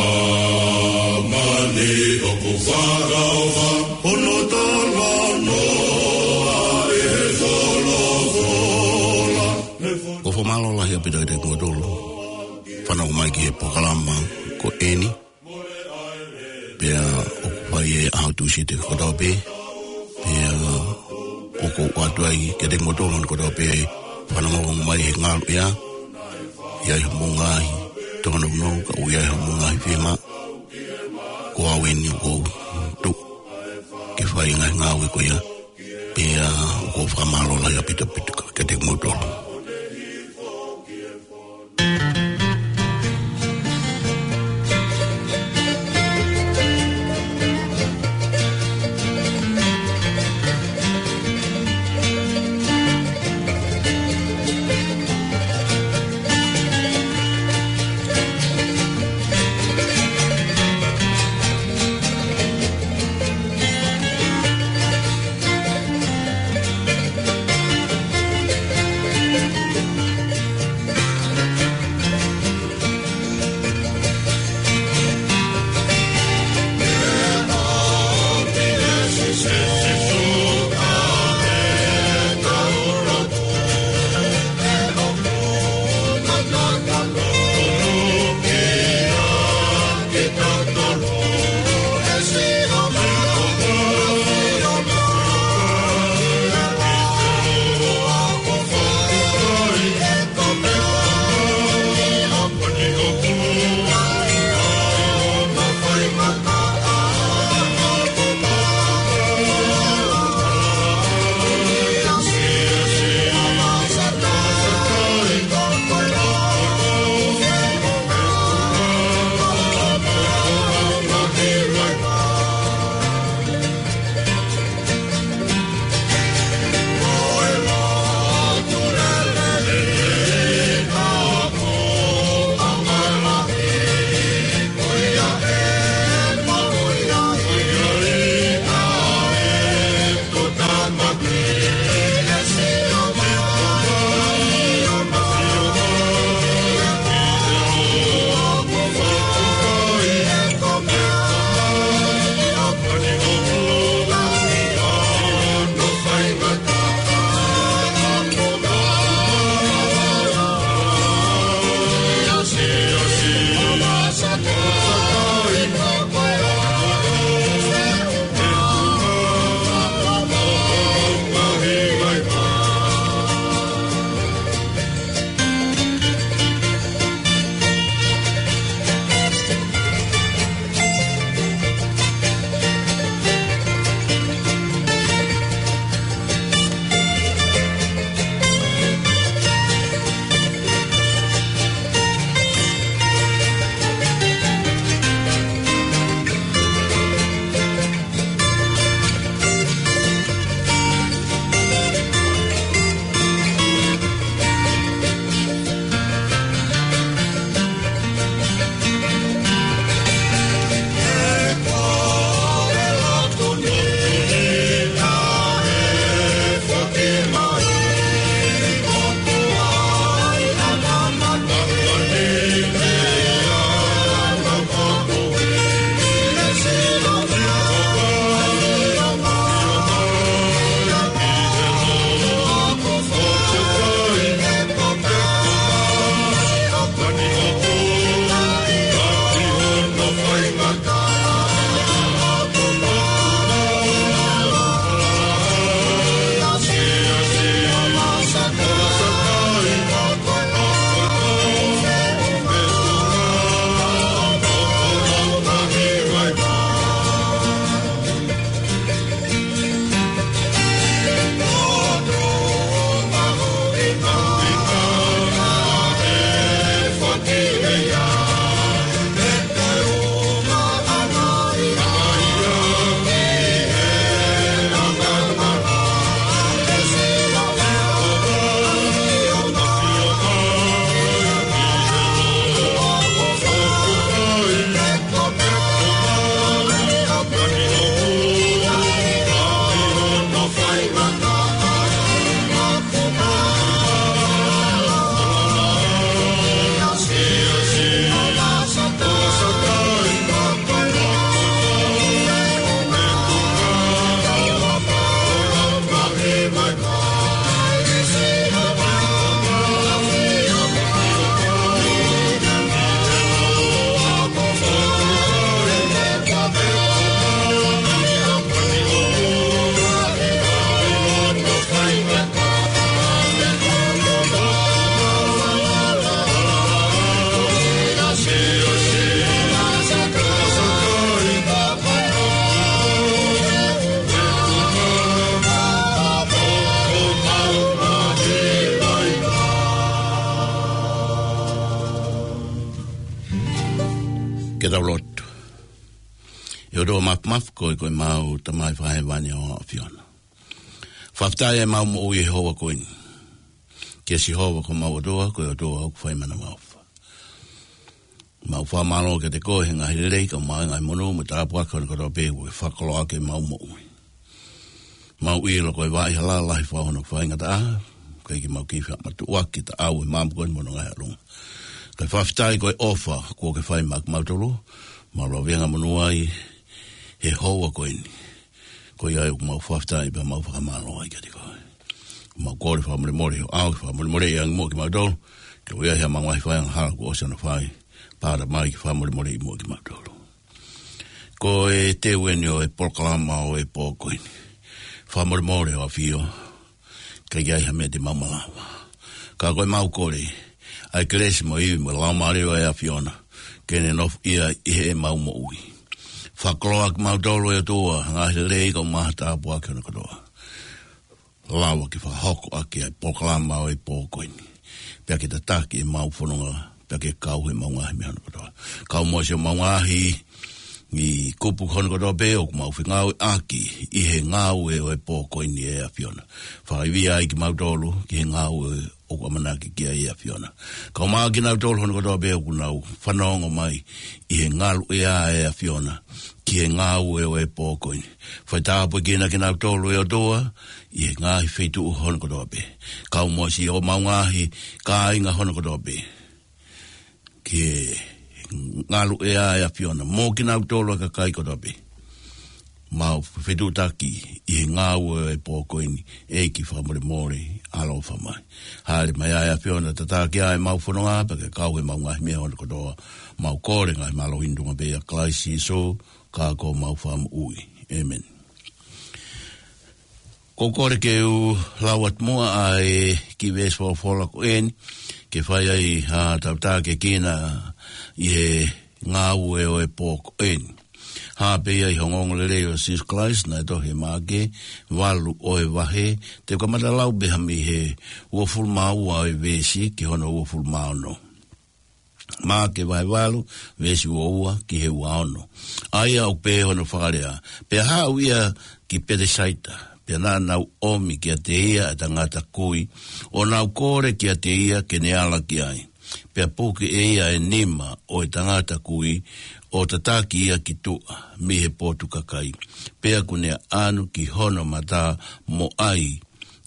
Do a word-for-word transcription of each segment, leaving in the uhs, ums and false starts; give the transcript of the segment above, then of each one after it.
Māmani ʻoku fakaʻofa, hono talanoa ʻi he folofola. ʻOku ou fakamālō lahi ʻaupito kiate kimoutolu fānau mai ki he polokalama ko eni. Pea ʻoku fai ʻi he ʻaho Tūsite kotoa pē. Pea ʻoku ou ʻoatu ai kiate kimoutolu kotoa pē fānau mai he ngaluʻea. ʻI ai hoʻomou ngaahi tōnounou, ka ʻoku ʻi ai hoʻomou ngaahi fiemaʻu, ko au eni ʻoku ou tuʻu ke fai e ngaahi ngāue ko ia. Pea ʻoku ou fakamālō lahi ʻaupito kiate kimoutolu. Ke tau lotu. ʻE ʻOtua Māfimafi, ko e, ko ʻemau Tamai Fakahēvani ʻo ʻAfiona. Fakafetaʻi ʻemau moʻui he houa ko eni. Kia Sihova ko homau ʻOtua, ko e ʻOtua ʻoku fai manavaʻofa. Mau fakamālō kiate koe he ngaahi lelei, kae ʻumaʻā e ngaahi monū mo e tāpuaki kotoa pē ʻoku ke fakakoloaʻaki ʻemau moʻui. Mau ʻilo ko e vaʻa hala lahi fau hono faingataʻa, ʻikai ke mau kei fakamatuʻuaki taʻau ʻi he maama ko eni mo hono ngaahi ʻalunga. Kae fakafetaʻi ko e ʻofa kuo ke fai maʻa kimautolu, mau lave angamonū ai he houa ko eni. Ko ia ai ʻoku mau fakafetaʻi pea mau fakamālō ai kiate koe. Mau kole fakamolemole ʻo ʻai ke fakamolemoleʻi ange muʻa kimautolu, ke ʻoua ʻe ʻi ai haʻamau ngaahi fai angahala kuo ʻosi hono fai, pea ʻatā mai ke fakamolemoleʻi muʻa kimautolu. Ko e teu eni ʻo e polokalama ʻo e pō ko eni. Fakamolemole ʻo ʻAfio, ʻikai ke ʻi ai ha meʻa te mau malava. Ka ko ʻemau kole, ʻa e kelesi mo e ivi mo e laumālie ʻo e ʻAfiona, ke ne nofoʻia ʻi heʻemau moʻui. Fakakoloaʻaki kimautolu ʻe ʻOtua, ngaahi lelei kae ʻumaʻā e tāpuaki hono kotoa. Lava ke fakahoko ʻaki ʻa e polokalama ʻo e pō ko eni. Pea ke tataki ʻemau fononga, pea ke kau heʻemau ngaahi meʻa hono kotoa. Kau mo siʻomau ngaahi, ʻi he kupu hono kotoa pē ʻoku mau fengāueʻaki ʻi he ngāue ʻo e pō ko eni ʻe ʻAfiona. Fakaivia ai kimautolu, ki he ngāue ʻoku ʻamanaki ki ai ʻe ʻAfiona. Kau mo kinautolu hono kotoa pē ʻoku nau fanongo mai ʻi he ngaluʻea ʻe ʻAfiona ki he ngāue ʻo e pō ko eni. Fai tāpuekina kinautolu ʻe ʻOtua ʻi he ngaahi feituʻu hono kotoa pē. Kau mo siʻomau ngaahi kāinga hono kotoa pē. Ki he ngaluʻea ʻe ʻAfiona mo kinautolu ʻa e kakai kotoa pē. Mau fetuʻutaki ʻi he ngāue ʻo e pō ko eni, ʻEiki fakamolemole, ʻaloʻofa mai. Hāʻele mai ʻa e ʻAfiona tataki ʻa ʻemau fononga, pea ke kau heʻemau ngaahi meʻa hono kotoa, mau kole ngaahi mālohi ʻi he tuʻunga pē ʻia Kalaisi Sīsū, ka ko homau Fakamoʻui. ʻĒmeni. Ko e kole ke u lau atu muʻa ʻa e kiʻi veesi folofola ko eni, ke fai ai haʻatau tākiekina ʻi he ngāue ʻo e pō ko eni. Hā pē ia ʻi he ongoongolelei ʻo Sīsū Kalaisi naʻe tohi ʻe Maʻake, valu ʻo e vahe, te u kamata lau pē mei he uofulu mā ua ʻo e veesi ki hono uofulu mā ono. Maʻake vahe valu, veesi ua ua ki he ua ono. ʻA ia ʻoku pehē hono fakalea: Pea haʻu ia ki Petesaita, pea naʻa nau ʻomi kiate ia ʻa e tangata kui, ʻo nau kole kiate ia ke ne ala ki ai. Pea puke ʻe ia ʻa e nima ʻo e tangata kui, ʻo tataki ia ki tuʻa mei he potu kakai. Pea kuo ne ʻaʻanu ki hono mata mo ʻai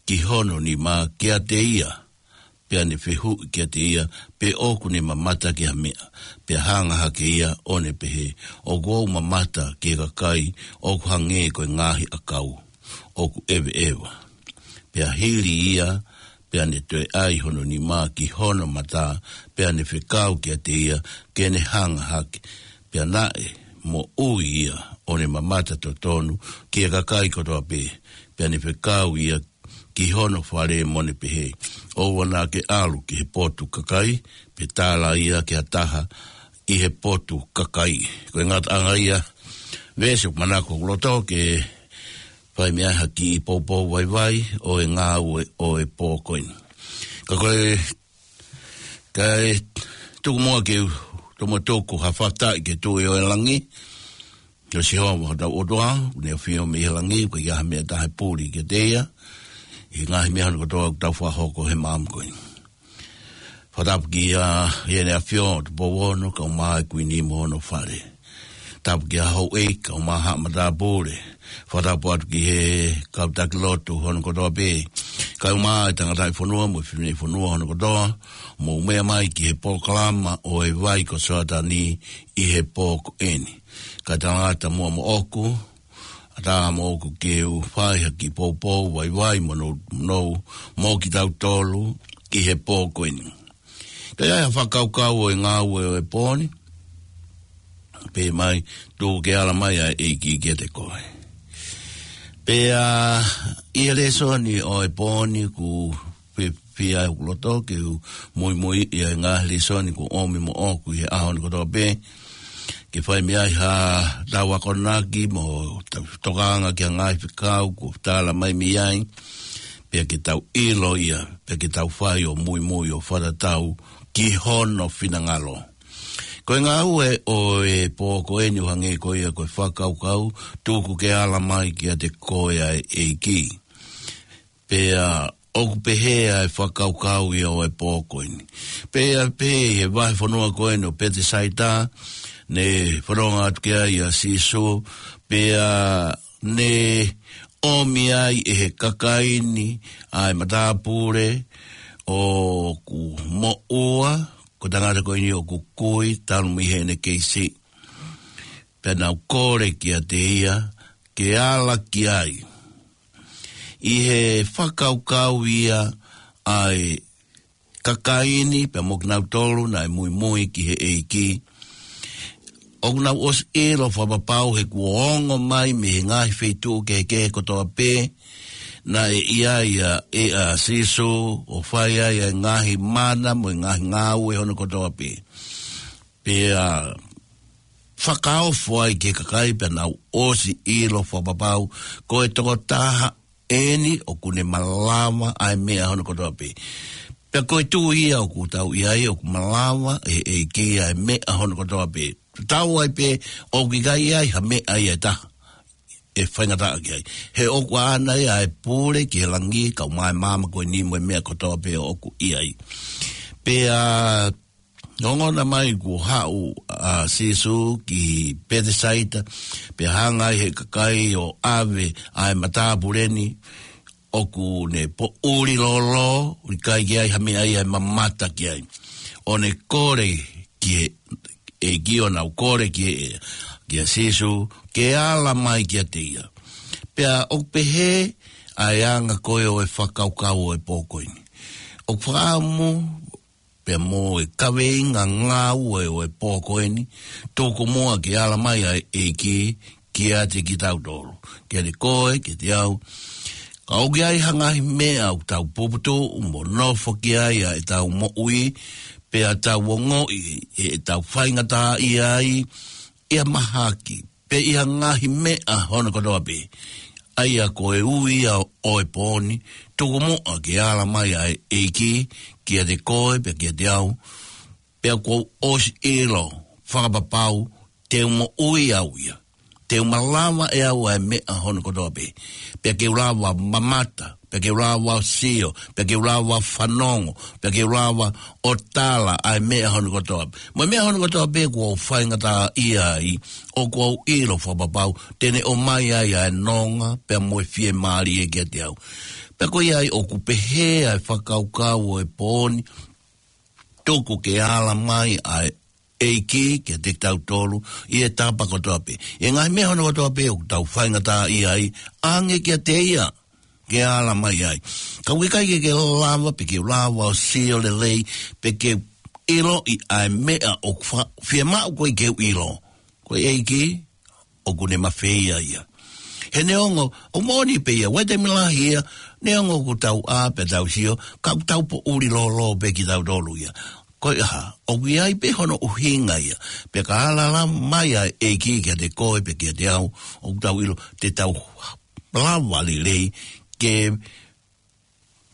ki hono nima kiate ia, pea ne fehuʻi kiate ia pe ʻoku ne mamata ki ha meʻa. Pea hanga hake ia ʻo ne pehē, ʻOku ou mamata ki he kakai ʻoku hangē ko e ngaahi ʻakau ʻoku ʻeveʻeva. Pea hili ia, pea ne toe ʻai hono nima ki hono mata, pea ne fekau kiate ia ke ne hanga hake. Pea naʻe moʻui ia ʻo ne mamata totonu ki he kakai kotoa pē. Pea ne fekau ia ki hono fale mo ne pehē, ʻOua naʻa ke ʻalu ki he potu kakai, pe tala ia ki ha taha ʻi he potu kakai. Ko e ngataʻanga ia veesi ʻoku manako ʻoku loto ke fai mei ai ha kiʻi poupou vaivai ʻo e ngāue ʻo e pō ko eni. Ka ko e, kae tuku muʻa ke u tomuʻa tuku ha fakafetaʻi ki he Tuʻi ʻo e langi, ko Sihova hotau ʻOtua, ʻoku ne ʻafio mei he langi, ʻoku ʻikai ha meʻa ʻe taha ʻe puli kiate ia ʻi he ngaahi meʻa hono kotoa ʻoku tau fakahoko he maama ko eni. Fakatapu ki he ʻEne ʻAfio ʻo Tupou Ono, kae ʻumaʻā e Kuini mo hono fale. Tapu ki he houʻeiki, kae ʻumaʻā haʻa matāpule. Fakatapu atu ki he kau taki lotu hono kotoa pē, kae ʻumaʻā e tangataʻi fonua mo e fefine fonua hono kotoa, mou meʻa mai ki he polokalama ʻo e vai ko Soatani ʻi he pō ko eni. Kae talangata muʻa moʻoku, ʻatā moʻoku ke u fai ha kiʻi poupou vaivai mo nou, nou, mo kitautolu ʻi he pō ko eni. Ka ʻi ai ha fakakaukau ʻo e ngāue ʻo e pō ni, pehē mai, tuku ke ala mai ʻa e ʻEiki kiate koe. Pea ʻi he lēsoni ʻo e pō ni ʻoku fiefia ʻeku loto ke u muimui ʻi he ngaahi lēsoni kuo ʻomi moʻoku ʻi he ʻaho ni kotoa pē, ke fai mei ai haʻatau akonaki mo tau tokanga ki he ngaahi fekau kuo tala mai mei ai, pea ke tau ʻilo ia, pea ke tau fai ʻo muimui ʻo fakatatau ki hono finangalo. Ko e ngāue ʻo e pō ko eni ʻoku hangē ko ia ko e fakakaukau, tuku ke ala mai kiate koe ʻa e ʻEiki. Pea ʻoku pehē ʻa e fakakaukau ia ʻo e pō ko eni. Pea pehē ʻi he vahefonua ko eni ʻo Petesaita, ne fononga atu ki ai ʻa Sīsū, pea ne ʻomi ai ʻe he kakai ni ʻa e matāpule ʻoku moʻua, ko e tangata ko eni ʻoku kui, talu mei heʻene kei siʻi. Pea nau kole kiate ia, ke ala ki ai. ʻI he fakakaukau ia ʻa e kakai ni, pea mo kinautolu naʻe muimui ki he ʻEiki. ʻOku nau ʻosi ʻilo fakapapau he kuo ongo mai mei he ngaahi feituʻu kehekehe kotoa pē, naʻe ʻi ai ʻa e ʻa Sīsū, ʻo fai ai ʻa e ngaahi mana mo e ngaahi ngāue hono kotoa pē. Pea fakaofo ai ki he kakai pea nau ʻosi ʻilo fakapapau, ko e tokotaha eni ʻoku ne malava ʻa e meʻa hono kotoa pē. Pea ko e tuʻu ia ʻoku tau ʻi ai ʻoku malava ʻe he ʻEiki ʻa e meʻa hono kotoa pē. Tau ai pē ʻoku ʻikai ʻi ai ha meʻa ia ʻe taha ʻe faingataʻa ki ai. He ʻoku ʻaʻana ia ʻa e pule ki he langi, kau mai māmani ko eni mo e meʻa kotoa pē ʻoku ʻi ai. Pea ongona mai kuo haʻu ʻa Sīsū ki Petesaita, pea hanga ai he kakai ʻo ʻave ʻa e matāpule ni, ʻoku ne poʻuli lōlō, ʻikai ke ʻi ai ha meʻa ia ʻe mamata ki ai. ʻO ne kole ki he ʻEiki, ʻo nau kole ki he, kia Sīsū, ke ala mai kiate ia. Pea ʻoku pehē ʻa e anga ko ē ʻo e fakakaukau ʻo e pō ko eni. ʻOku fakaʻamu pea mo e kaveinga ngāue ʻo e pō ko eni, tuku muʻa ke ala mai ʻa e ʻEiki kiate kitautolu, kiate koe, kiate au. Ka ʻoku ʻi ai ha ngaahi meʻa ʻoku tau puputuʻu mo nofo ki ai ʻa ʻetau moʻui, pea tau ongoʻi ʻe tau faingataʻaʻia ai, ʻi ha mahaki, pe ʻi ha ngaahi meʻa hono kotoa pē. ʻA ia ko e ui ia ʻo e pō ni, tuku muʻa ke ala mai ʻa e ʻEiki kiate koe pea kiate au, pea kuo u ʻosi ʻilo fakapapau te u moʻui au ia. Te u malava ʻe au ʻa e meʻa hono kotoa pē. Pea ke u lava mamata, pea ke u lava sio, pea ke u lava fanongo, pea ke u lava ʻo tala ʻa e meʻa hono kotoa pē. Mo e meʻa hono kotoa pē kuo u faingataʻaʻia ai, ʻoku ou ʻilo fakapapau te ne ʻomai ai ʻa e nonga, pea mo e fiemālie kiate au. Pea ko ia ai ʻoku pehē ʻa e fakakaukau ʻo e pō ni, tuku ke ala mai ʻa e ʻEiki kiate kitautolu ʻi he tapa kotoa pē. ʻI he ngaahi meʻa hono kotoa pē ʻoku tau faingataʻaʻia ai, ʻange kiate ia ke ala mai ai. Ka ʻoku ʻikai ke ke lava, pe ke lava ʻo sio lelei, pe ke ʻiloʻi ʻa e meʻa ʻoku fa-, fiemaʻu koe ke u ʻilo. Ko e ʻEiki, ʻoku ne mafeia ia. He neongo, ʻoku moʻoni pē ia, ʻoku ʻi ai e taimi lahi ia, neongo ʻoku tau ʻā pea tau sio, ka ʻoku tau poʻuli lōlō pē kitautolu ia. Ko e hā, ʻoku ʻi ai pē hono ʻuhinga ia. Pea ka ala mai ʻa e ʻEiki kiate koe pe kiate au, ʻoku tau ʻilo, te tau lava lelei ke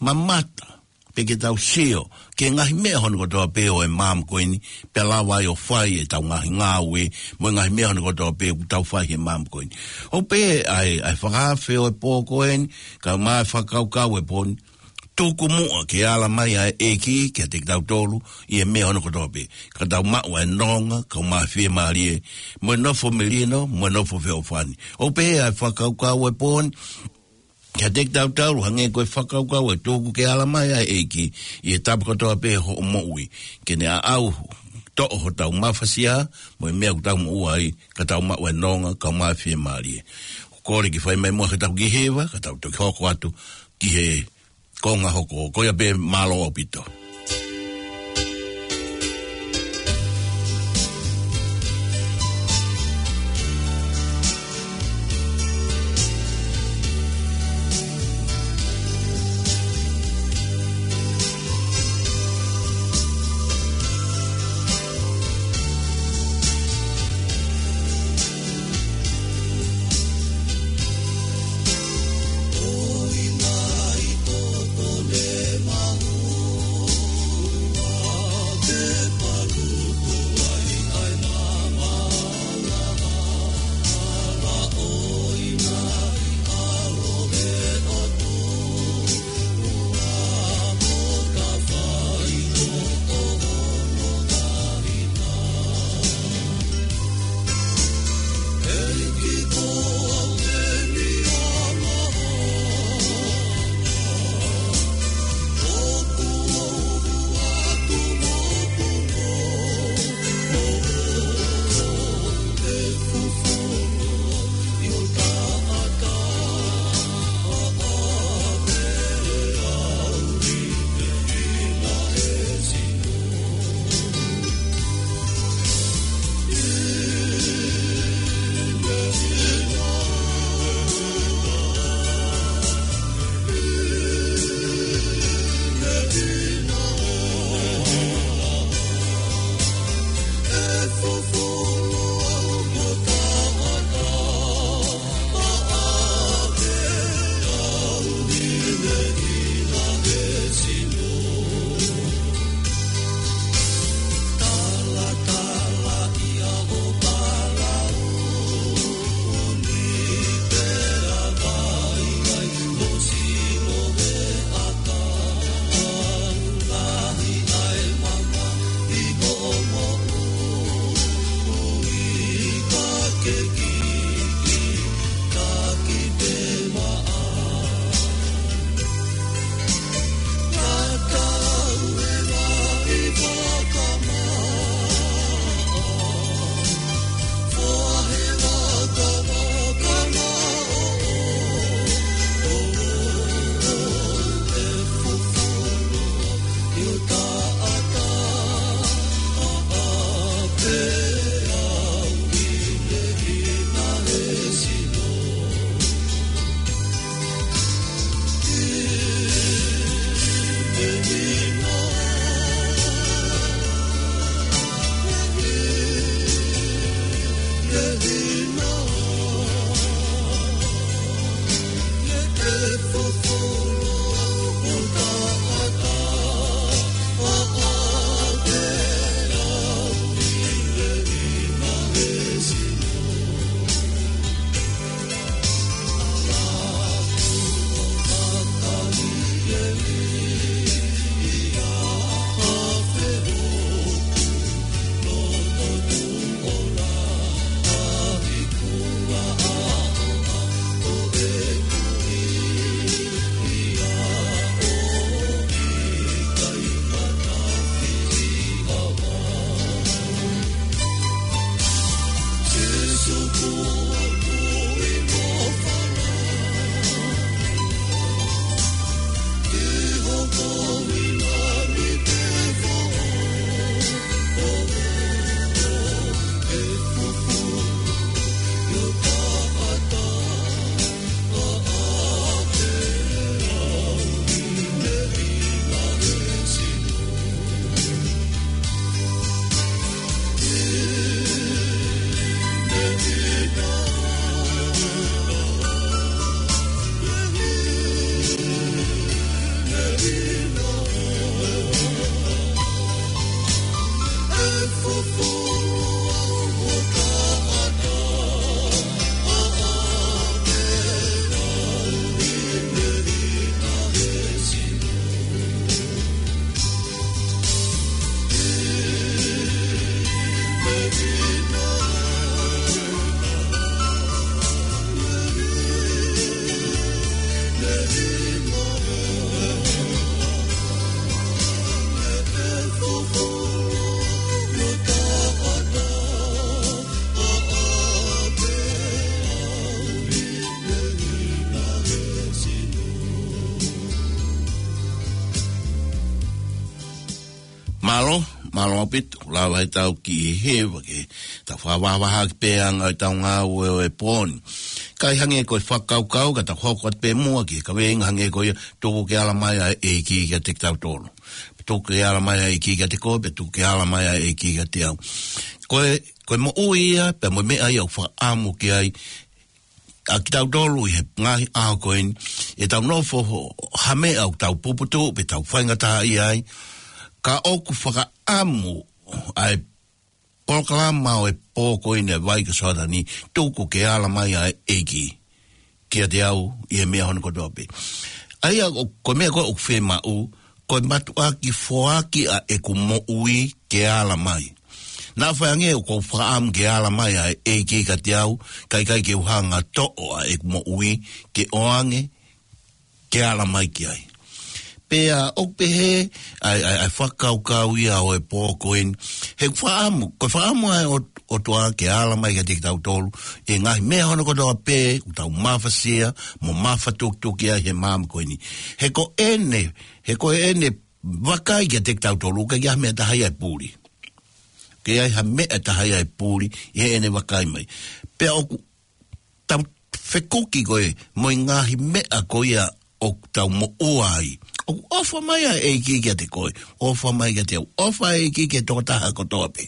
mamata, pe ke tau sio ki he ngaahi meʻa hono kotoa pē ʻo e māmani ko eni, pea lava ai ʻo fai ʻetau ngaahi ngāue, mo e ngaahi meʻa hono kotoa pē ʻoku tau fai he māmani ko eni. ʻOku pehē ʻa e, ʻa e fakaafe ʻo e pō ko eni, kae ʻumaʻā e fakakaukau ʻo e pō ni, tuku muʻa ke ala mai ʻa e ʻEiki kiate kitautolu ʻi he meʻa hono kotoa pē. Ka tau maʻu ʻa e nonga, kae ʻumaʻā e fiemālie, mo e nofo melino, mo e nofo feʻofoʻofani. ʻOku pehē ʻa e fakakaukau ʻo e pō ni, kiate kitautolu, hangē ko e fakakaukau ʻe tuku ke ala mai ʻa e ʻEiki ʻi he tapa kotoa pē hoʻo moʻui. Ke ne aʻau toʻo hotau mafasia, mo e meʻa ʻoku tau moʻua ai, ka tau maʻu ʻa e nonga, kae ʻumaʻā e fiemālie. ʻOku kole ke fai mai muʻa ke tau kiʻi hiva, ka tau toki hoko atu ki he konga hoko. Ko ia pē, mālō ʻaupito. Mālō, mālō ʻaupito, lava ʻetau kiʻi hiva ke tau fakavahavahaki pē ʻa e ngaahi tau ngāue ʻo e pō ni. Kae hangē ko e fakakaukau, ka tau hoko atu pē muʻa ki he kaveinga hangē ko ia, tuku ke ala mai ʻa e ʻEiki kiate kitautolu. Tuku ke ala mai ʻa e ʻEiki kiate koe, pea tuku ke ala mai ʻa e ʻEiki kiate au. Ko e, ko e moʻui ia, pea mo e meʻa ia ʻoku fakaʻamu ki ai, ʻa kitautolu ʻi he ngaahi ʻaho ko eni, ʻetau nofo ho-, ha meʻa ʻoku tau puputuʻu, pe tau faingataʻaʻia ai, ka ʻoku fakaʻamu ʻa e polokalama ʻo e pō ko eni ʻa e vai ko Soatani, tuku ke ala mai ʻa e ʻEiki kiate au ʻi he meʻa hono kotoa pē. ʻA ia ko, ko e meʻa ko ē ʻoku fiemaʻu, ko e mātuʻaki foaki ʻa ʻeku moʻui ke ala mai. Naʻa faʻa ange ʻoku ou fakaʻamu ke ala mai ʻa e ʻEiki kiate au, kae ʻikai ke u hanga ʻo toʻo ʻa ʻeku moʻui, ke ʻoange, ke ala mai ki ai. Pea ʻoku pehē ʻa e, ʻa e, ʻa e fakakaukau ia ʻo e pō ko eni. He fakaʻamu, ko e fakaʻamu ʻa e ʻOt-, ʻOtua ke ala mai kiate kitautolu ʻi he ngaahi meʻa hono kotoa pē ʻoku tau mafasia mo mafatukituki ai he māmani ko eni. He ko ʻene, he ko ʻene vakai kiate kitautolu, ʻoku ʻikai ha meʻa ʻe taha ia ʻe puli. ʻOku ʻikai ha meʻa ʻe taha ia ʻe puli ʻi heʻene vakai mai. Pea ʻoku tau fekuki ko ē mo e ngaahi meʻa ko ia ʻoku tau moʻua ai. ʻOku ʻofa mai ʻa e ʻEiki kiate koe, ʻofa mai kiate au, ʻofa ʻa e ʻEiki ki he tokotaha kotoa pē.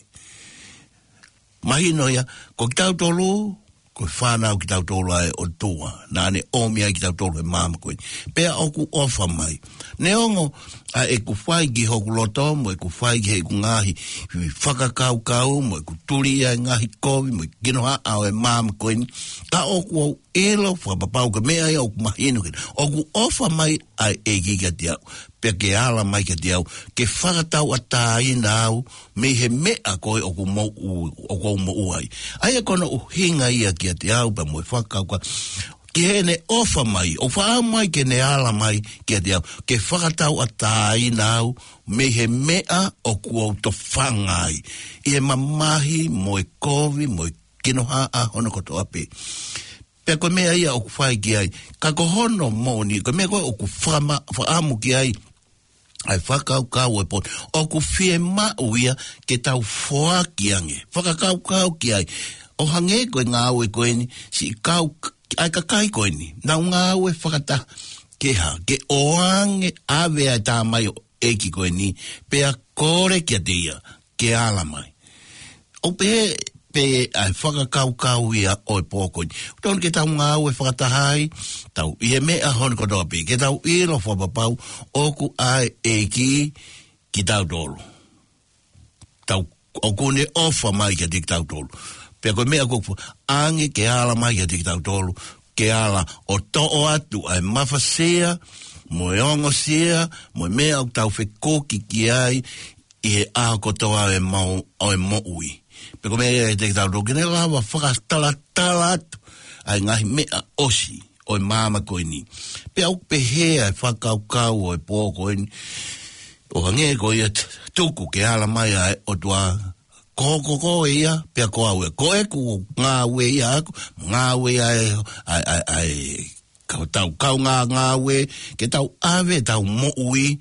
Mahino ia, ko kitautolu, ko e fānau kitautolu ʻa e ʻOtua. Naʻa ne ʻomi ai kitautolu he māmani ko eni. Pea ʻoku ʻofa mai. Neongo ʻa ʻeku fai ki hoku loto, mo ʻeku fai ki heʻeku ngaahi fakakaukau, mo ʻeku tuli ʻa e ngaahi kovi, mo e kinohaʻa ʻo e māmani ko eni. Ka ʻoku ou ʻilo fakapapau ko e meʻa ia ʻoku mahino ke, ʻoku ʻofa mai ʻa e ʻEiki kiate au. Pea ke ala mai kiate au, ke fakatauʻatāina au, mei he meʻa ko ē ʻoku ou moʻu-, ʻoku ou moʻua ai. ʻA ia ko hono ʻuhinga ia kiate au, pea mo e fakakaukau, ki heʻene ʻofa mai, ʻoku fakaʻamu mai ke ne ala mai kiate au, ke fakatauʻatāina au, mei he meʻa ʻoku ou tofanga ai. ʻI he mamahi, mo e kovi, mo e kinohaʻa hono kotoa pē. Pea ko e meʻa ia ʻoku fai ki ai. Ka ko hono moʻoni, ko e meʻa ko ē ʻoku fakama-, fakaʻamu ki ai, ʻa e fakakaukau ʻo e pō ni, ʻoku fiemaʻu ia ke tau foaki ange. Fakakaukau ki ai. ʻO hangē ko e ngāue ko eni, siʻi kau, ʻa e kakai ko eni. Nau ngāue fakataha. Ke hā, ke ʻoange ʻave ʻa e tamaioʻeiki ko eni, pea kole kiate ia ke ala mai. ʻOku pehē pē ʻa e fakakaukau ia ʻo e pō ko eni. ʻOku totonu ke tau ngāue fakataha ai, tau ʻi he meʻa hono kotoa pē, ke tau ʻilo fakapapau, ʻoku ʻa e ʻEiki kitautolu. Tau, ʻoku ne ʻofa mai kiate kitautolu. Pea ko e meʻa ʻoku ʻange ke ala mai kiate kitautolu, ke ala ʻo toʻo atu ʻa e mafasia, mo e ongosia, mo e meʻa ʻoku tau fekuki ki ai, ʻi he ʻaho kotoa ʻo e mau-, ʻo e moʻui. Pea ko e meʻa ia ʻe te kitautolu ke ne lava fakatalatala atu ʻa e ngaahi meʻa ʻosi ʻo e māmani ko eni. Pea ʻoku pehē ʻa e fakakaukau ʻo e pō ko eni, ʻo hangē ko ia t-, tuku ke ala mai ʻa e ʻOtua, ko, ko, ko ia, pea ko au ia. Ko ʻeku ngāue ia ʻaʻaku, ngāue ia ʻa e, ʻa e, ʻa e, ʻa e, kau tau, kaungā ngāue, ke tau ʻave ʻetau moʻui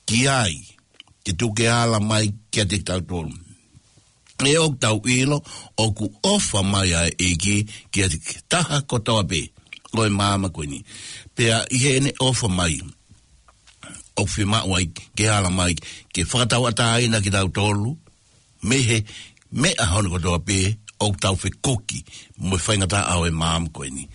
ki ai, ke tuku ke ala mai kiate kitautolu. ʻE ʻoku tau ʻilo, ʻoku ʻofa mai ʻa e ʻEiki kiate kitautolu kotoa pē ʻo e māmani ko eni. Pea ʻi heʻene ʻofa mai, ʻoku fiemaʻu ai ke ala mai, ke fakatauʻatāina kitautolu, mei he meʻa hono kotoa pē ʻoku tau fekuki mo e faingataʻa ʻo e māmani ko eni.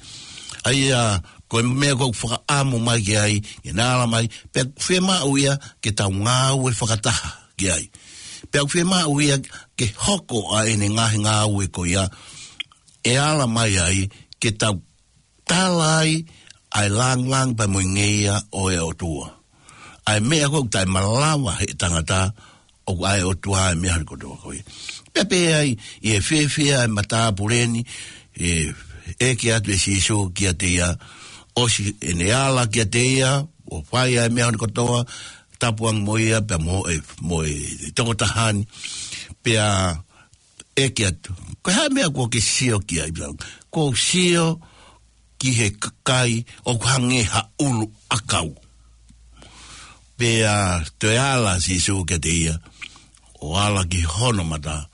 ʻA ia, ko e meʻa ʻoku fakaʻamu mai ki ai, ke ne ala mai, pea fiemaʻu ia ke tau ngāue fakataha ki ai. Pea fiemaʻu ia ke hoko ʻa ʻene ngaahi ngāue ko ia, ʻe ala mai ai, ke tau tala ai ʻa e lāngilangi pea mo e ngeia ʻo e ʻOtua. ʻA e meʻa ʻoku taʻemalava he tangata, ʻoku ʻa e ʻOtua ʻa e meʻa hono kotoa ko ia. Pea pehē ai, ʻi he fiefia ʻa e matāpule ni, ʻe, ʻeke atu ʻe Sīsū kiate ia, ʻosi ʻene ala kiate ia, ʻo fai ʻa e meʻa hono kotoa, tapu ange mo ia, pea mo e, mo e tokotaha ni, pea ʻeke atu. Ko e hā e meʻa kuo ke sio ki ai? Kuo u sio ki he kakai ʻoku hangē ha ʻulu ʻakau. Pea toe ala ʻa Sīsū kiate ia, ʻo ala ki hono mata,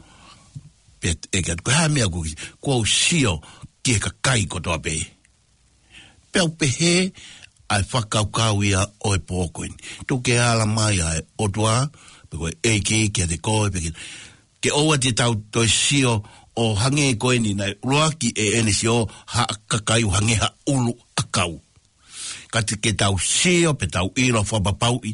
pea ʻeke atu, ko e hā e meʻa ʻoku, kuo u sio ki he kakai kotoa pē. Pea u pehē ʻa e fakakaukau ia ʻo e pō ko eni. Tuku ke ala mai ʻa e ʻOtua, pe ko e ʻEiki kiate koe, pe ke, ke ʻoua te tau toe sio ʻo hangē ko eni naʻe ʻuluaki ʻe ʻene sio ha kakai ʻo hangē ha ʻulu ʻakau. Ka te ke tau sio, pe tau ʻilo fakapapauʻi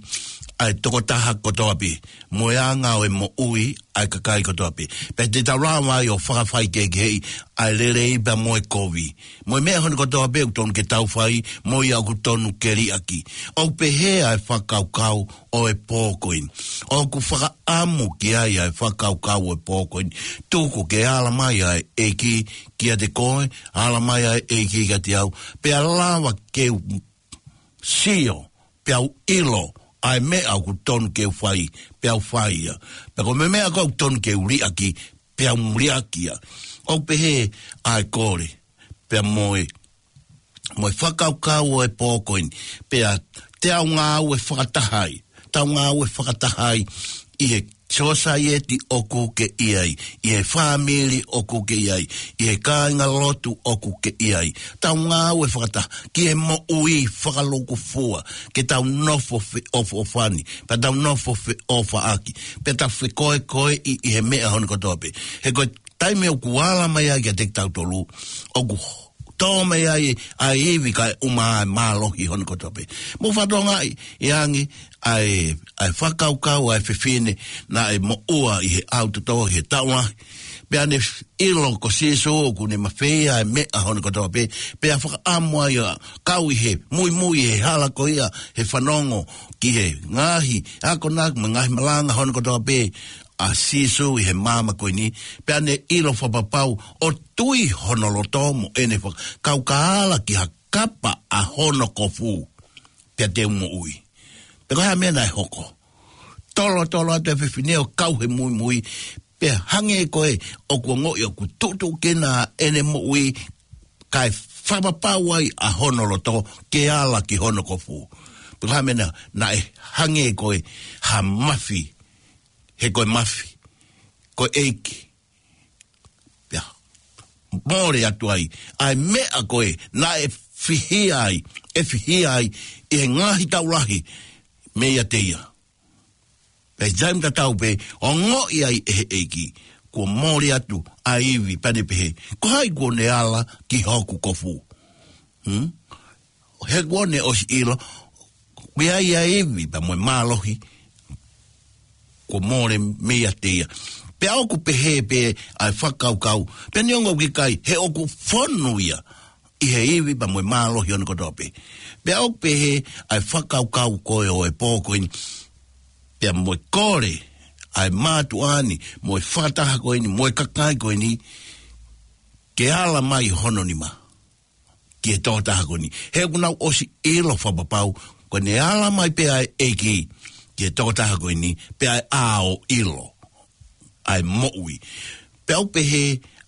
ʻa e tokotaha kotoa pē, mo e anga ʻo e moʻui ʻa e kakai kotoa pē. Pea te tau lava ai ʻo fakafaikehekeheʻi ʻa e lelei pea mo e kovi, mo e meʻa hono kotoa pē ʻoku tonu ke tau fai, mo ia ʻoku tonu ke liʻaki. ʻOku pehē ʻa e fakakaukau ʻo e pō ko eni. ʻOku fakaʻamu ki ai ʻa e fakakaukau ʻo e pō ko eni. Tuku ke ala mai ʻa e ʻEiki kiate koe, ala mai ʻa e ʻEiki kiate au. Pea lava ke u sio, pea u ʻilo ʻa e meʻa ʻoku tonu ke u fai, pea u fai ia. Pea ko e meʻa ko ē ʻoku tonu ke u liʻaki, pea u liʻaki ia. ʻOku pehē ʻa e kole, pea mo e, mo e fakakaukau ʻo e pō ko eni. Pea te tau ngāue fakataha ai, tau ngāue fakataha ai ʻi he sōsaieti ʻoku ke ʻi ai, ʻi he fāmili ʻoku ke ʻi ai, ʻi he kāingalotu ʻoku ke ʻi ai. Tau ngāue fakataha ki he moʻui fakalūkufua, ke tau nofo feʻofoʻofani, pea tau nofo feʻofaʻaki, pea tau fekoekoeʻi ʻi he meʻa hono kotoa pē. He ko e taimi ʻoku ala mai ai kiate kitautolu, ʻoku tō mai ai ʻa e ivi kae ʻumaʻā ʻa e mālohi hono kotoa pē. Mou fakatokangaʻi ange ʻa e, ʻa e fakakaukau ʻa e fefine naʻe moʻua ʻi he ʻaho toto, ʻi he taʻu lahi. Pea ne ʻilo ko Sīsū ʻoku ne mafeia ʻa e meʻa hono kotoa pē. Pea fakaʻamu ai ʻo kau ʻi he muimui he hala ko ia, he fanongo ki he ngaahi akonaki mo e ngaahi malanga hono kotoa pē ʻa Sīsū ʻi he māmani ko eni, pea ne ʻilo fakapapau ʻo tui hono loto mo ʻene fakakaukau, kae ala ki ha kapa ʻa hono kofu, pea te u moʻui. Pea ko e hā e meʻa naʻe hoko? Tolotolo atu e fefine ʻo kau he muimui, pea hangē ko ē ʻoku ongoʻi ʻoku tuʻutuʻu kena ʻene moʻui, kae fakapapau ai ʻa hono loto ke ala ki hono kofu. Pea ko e hā e meʻa naʻe, naʻe hangē ko ē ha mafi, he ko e mafi, ko e ʻEiki. Pea mole atu ai ʻa e meʻa ko ē naʻe fihia ai, ʻe fihia ai ʻi he ngaahi taʻu lahi meiate ia. Pea ʻi he taimi tatau pē, ongoʻi ai ʻe he ʻEiki kuo mole atu ʻa e ivi, pea ne pehē, ko hai kuo ne ala ki hoku kofu? Hmm? He kuo ne ʻosi ʻilo, ʻoku ʻi ai ʻa e ivi pea mo e mālohi kuo mole meiate ia. Pea ʻoku pehē pē ʻa e fakakaukau, pea neongo ʻoku ʻikai, he ʻoku fonu ia ʻi he ivi pea mo e mālohi hono kotoa pē. Pea ʻoku pehē ʻa e fakakaukau ko ē ʻo e pō ko eni, pea mo e kole ʻa e mātuʻa ni, mo e fakataha ko eni, mo e kakai ko eni, ke ala mai hono nima ki he tokotaha ko eni. He ʻoku nau ʻosi ʻilo fakapapau, ko ʻene ala mai pē ʻa e ʻEiki ki he tokotaha ko eni, pea ʻe ʻā ʻo ʻilo ʻa e moʻui. Pea ʻoku pehē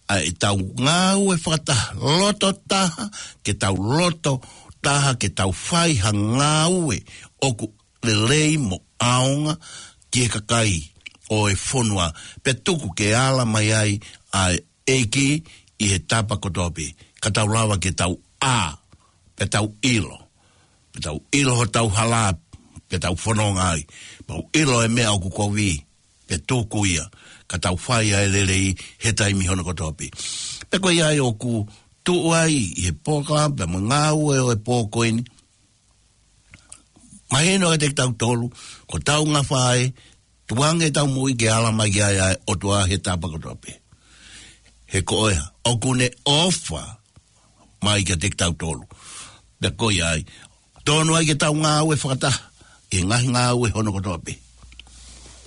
ʻa ʻetau ngāue fakataha, loto taha, ke tau loto taha, ke tau fai ha ngāue ʻoku lelei mo ʻaonga ki he kakai ʻo e fonua. Pea tuku ke ala mai ai ʻa e ʻEiki ʻi he tapa kotoa pē, ka tau lava ke tau ʻā, pea tau ʻilo, pea tau ʻilo hotau hala, pea tau fononga ai, pea tau ʻilo e meʻa ʻoku kovi, pea tuku ia, ka tau fai ʻa e lelei he taimi hono kotoa pē. Pea ko ia ai ʻoku tuʻu ai ʻi he polokalama pea mo e ngāue ʻo e pō ko eni, mahino kiate kitautolu, ko hotau ngafa ē, tukuange ʻetau moʻui ke ala mai ki ai ʻa e ʻOtua he tapa kotoa pē. He ko ia ʻoku ne ʻofa mai kiate kitautolu. Pea ko ia ai, tonu ai ke tau ngāue fakataha ʻi he ngaahi ngāue hono kotoa pē.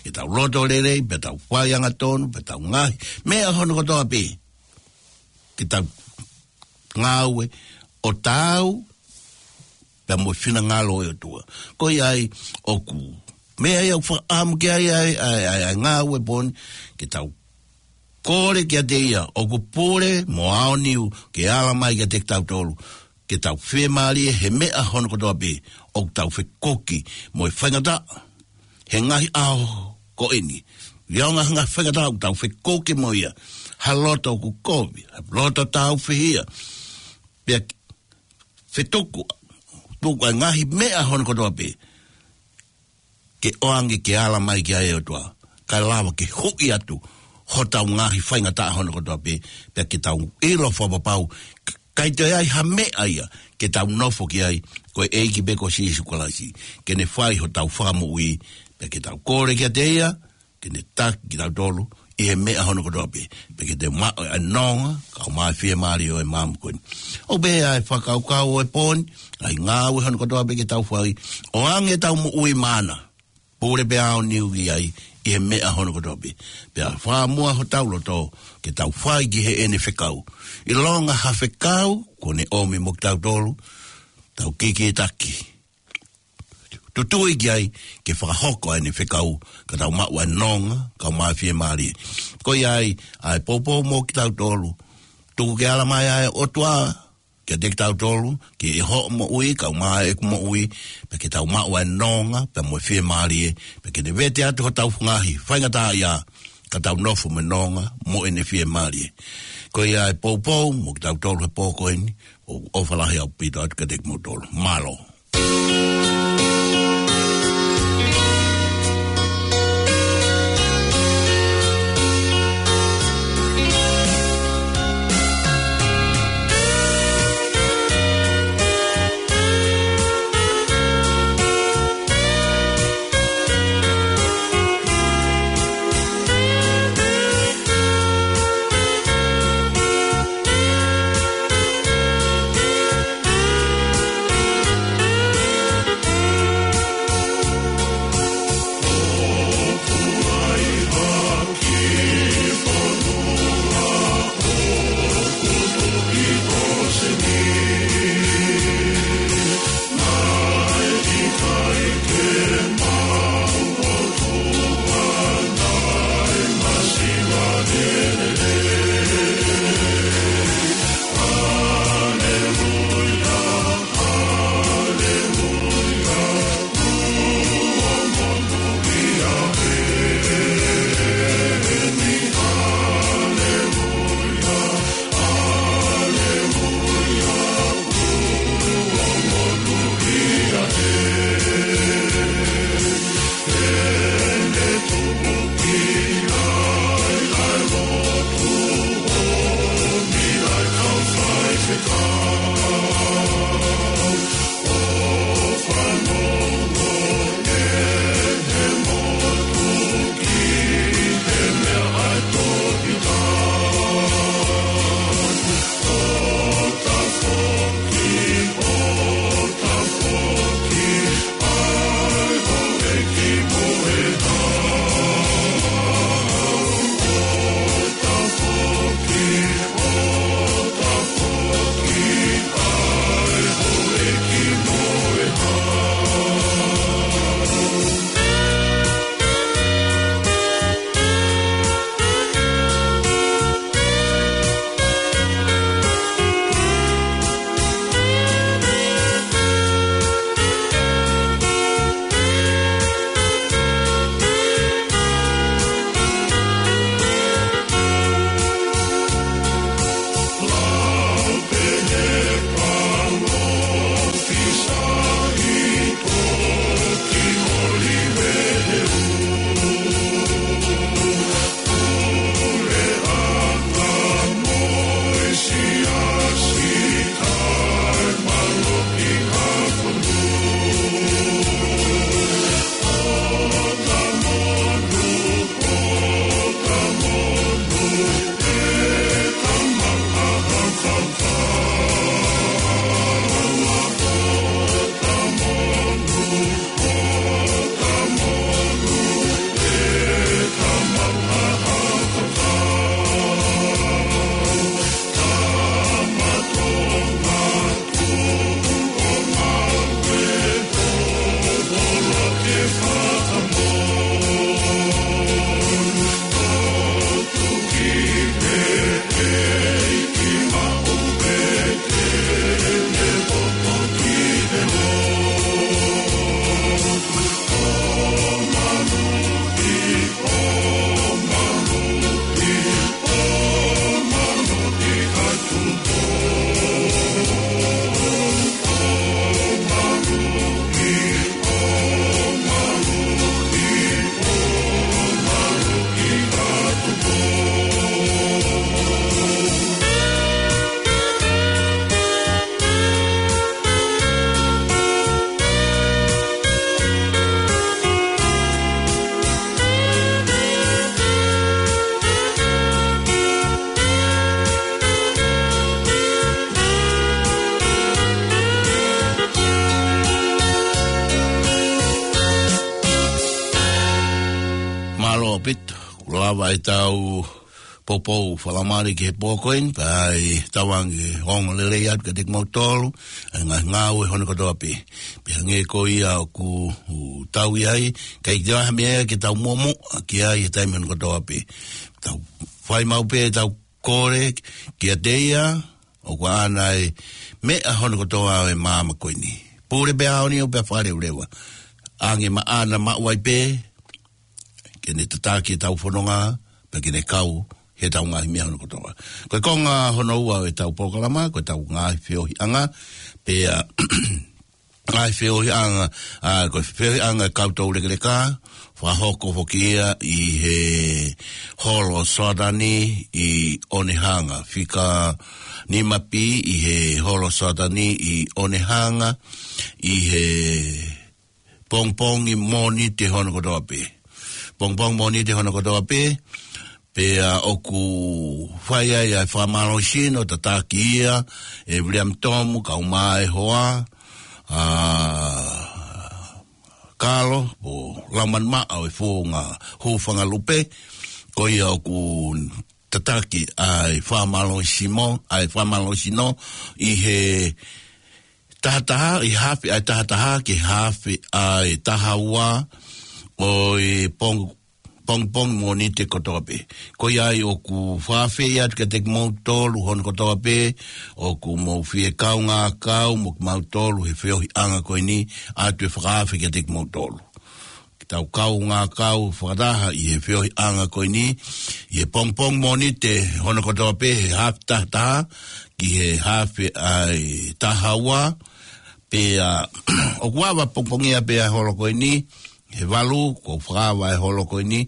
Ke tau loto lelei, pea tau fai angatonu, pea tau ngaahi meʻa hono kotoa pē, ke tau ngāue ʻo taau pea mo e finangalo ʻo e ʻOtua. Ko ia ai ʻoku meʻa ia ʻoku fakaʻamu ki ai ʻa e, ʻa e, ʻa e, ʻa e ngāue pō ni, ke tau kole kiate ia ʻoku pule mo aoniu ke ala mai kiate kitautolu, ke tau fiemālie he meʻa hono kotoa pē ʻoku tau fekuki mo e faingataʻa he ngaahi ʻaho ko eni. Lionga ha ngaahi faingataʻa ʻoku tau fekuki mo ia. Ha loto ʻoku kovi, ha loto tāufihia. Pea fetuku, tuku ʻa e ngaahi meʻa hono kotoa pē ke ʻoange ke ala mai ki ai ʻOtua, kae lava ke huʻi atu hotau ngaahi faingataʻa hono kotoa pē, pea ke tau ʻilo fakapapau, k-, ʻikai toe ʻi ai ha meʻa ia ke tau nofo ki ai, ko e ʻEiki pē ko Sīsū Kalaisi, ke ne fai hotau fakamoʻui, pea ke tau kole kiate ia, ke ne taki kitautolu ʻi he meʻa hono kotoa pē, pea ke te maʻu ʻa e nonga, kau mai fiemālie ʻo e maama ko eni. ʻOku pehē ʻa e fakakaukau ʻo e pō ni, ʻa e ngāue hono kotoa pē ke tau fai, ʻoange ʻetau moʻui maʻana, pule pē ʻaoniu ki ai, ʻi he meʻa hono kotoa pē. Pea fakamua hotau loto, ke tau fai ki heʻene fekau. ʻIlonga ha fekau, kuo ne ʻomi mo kitautolu, tau kikitaki. Tutui ki ai, ke fakahoko ʻa ʻene fekau, ka tau maʻu ʻa e nonga, kau mai fiemālie. Ko ia ai, ʻa e poupou mo kitautolu. Tuku ke ala mai ʻa e ʻOtua, kiate kitautolu, ke ʻi hoʻo moʻui, kau mai ʻeku moʻui, pea ke tau maʻu ʻa e nonga, pea mo e fiemālie, pea ke ne vete atu hotau ngaahi faingataʻaʻia, ka tau nofo mo e nonga, mo ʻene fiemālie. Ko ia ʻa e poupou, mo kitautolu he pō ko eni, ʻoku ʻofa lahi ʻaupito atu kiate kimoutolu. Mālō. lava ʻetau poupou fakalangi ki he pō ko eni, pea ʻe tauange ʻo ongo lelei atu kiate kimoutolu ʻa e ngaahi ngāue hono kotoa pē. Pea hangē ko ia ʻoku tau ʻi ai, ʻikai ke ʻi ai ha meʻa ke tau muʻomuʻa ki ai he taimi hono kotoa pē. Tau fai maʻu pē ʻetau kole kiate ia, ʻoku ʻaʻana e meʻa hono kotoa ʻo e māmani ko eni. Pule pē ʻaho ni ʻo pea fale ʻo leva. ʻAnge maʻana maʻu ai pē, ke ne tataki ʻetau fononga, pea ke ne kau heʻetau ngaahi meʻa hono kotoa. Ko e konga hono ua ʻo ʻetau polokalama, ko ʻetau ngaahi feohiʻanga, pea ngaahi feohiʻanga, ʻa, ko e feohiʻanga ʻa e kau toulekeleka, fakahoko foki ia ʻi he holo Soatani ʻi ʻOnehanga, fika nima pē ʻi he holo Soatani ʻi ʻOnehanga, ʻi he pongipongi Mōnite hono kotoa pē. Pongipongi Mōnite hono kotoa pē, pea ʻoku fai ai ʻa e fakamālohisino tataki ia ʻe William Tomu, kau mai hoa, ʻa Kalo, ʻo Laumanu Maʻa ʻo e Founga Hūfanga Lupe, ko ia ʻoku tataki ʻa e fakamālohisimo, ʻa e fakamālohisino ʻi he taha taha, ʻi he hafe ʻa e taha taha, ki he hafe ʻa e taha ua ʻo e pong-, pongipongi Mōnite kotoa pē. Ko ia ai ʻoku fakaafeʻi atu kiate kimoutolu hono kotoa pē, ʻoku mou fie kaungā kau mo kimautolu he feohiʻanga ko eni, ʻoatu e fakaafe kiate kimoutolu. Ke tau kaungā kau fakataha ʻi he feohiʻanga ko eni, ʻi he pongipongi Mōnite hono kotoa pē he hafe taha taha, ki he hafe ʻa e taha ua, pea ʻoku ava pongipongia pē ʻa e holo ko eni, he valu, kuo fakaava e holo ko eni,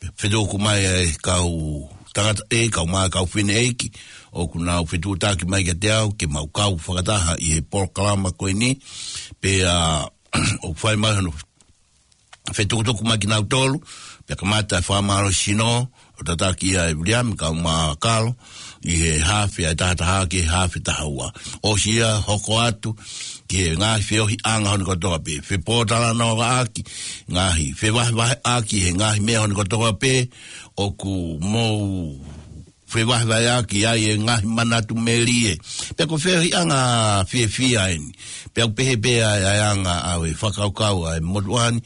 pea fetuku mai ʻa e kau tangataʻeiki, kau mai kau fineʻeiki, ʻoku nau fetuʻutaki mai kiate au, ke mau kau fakataha ʻi he polokalama ko eni, pea ʻoku fai mai hono fetukutuku mai kinautolu, pea kamata e fakamālohisino, ʻo tataki ia ʻe William, kau mai Kalo, ʻi he hafe ʻa e taha taha ki he hafe taha ua. ʻOsi ia hoko atu, ki he ngaahi feohiʻanga hono kotoa pē. Fepōtalanoaʻaki, ngaahi fevahevaheʻaki, he ngaahi meʻa hono kotoa pē, ʻoku mou fevahevaheʻaki ai e ngaahi manatu melie. Pea ko e feohiʻanga fiefia eni. Pea ʻoku pehē pē ʻa e, ʻa e anga ʻa e fakakaukau ʻa e motuʻa ni.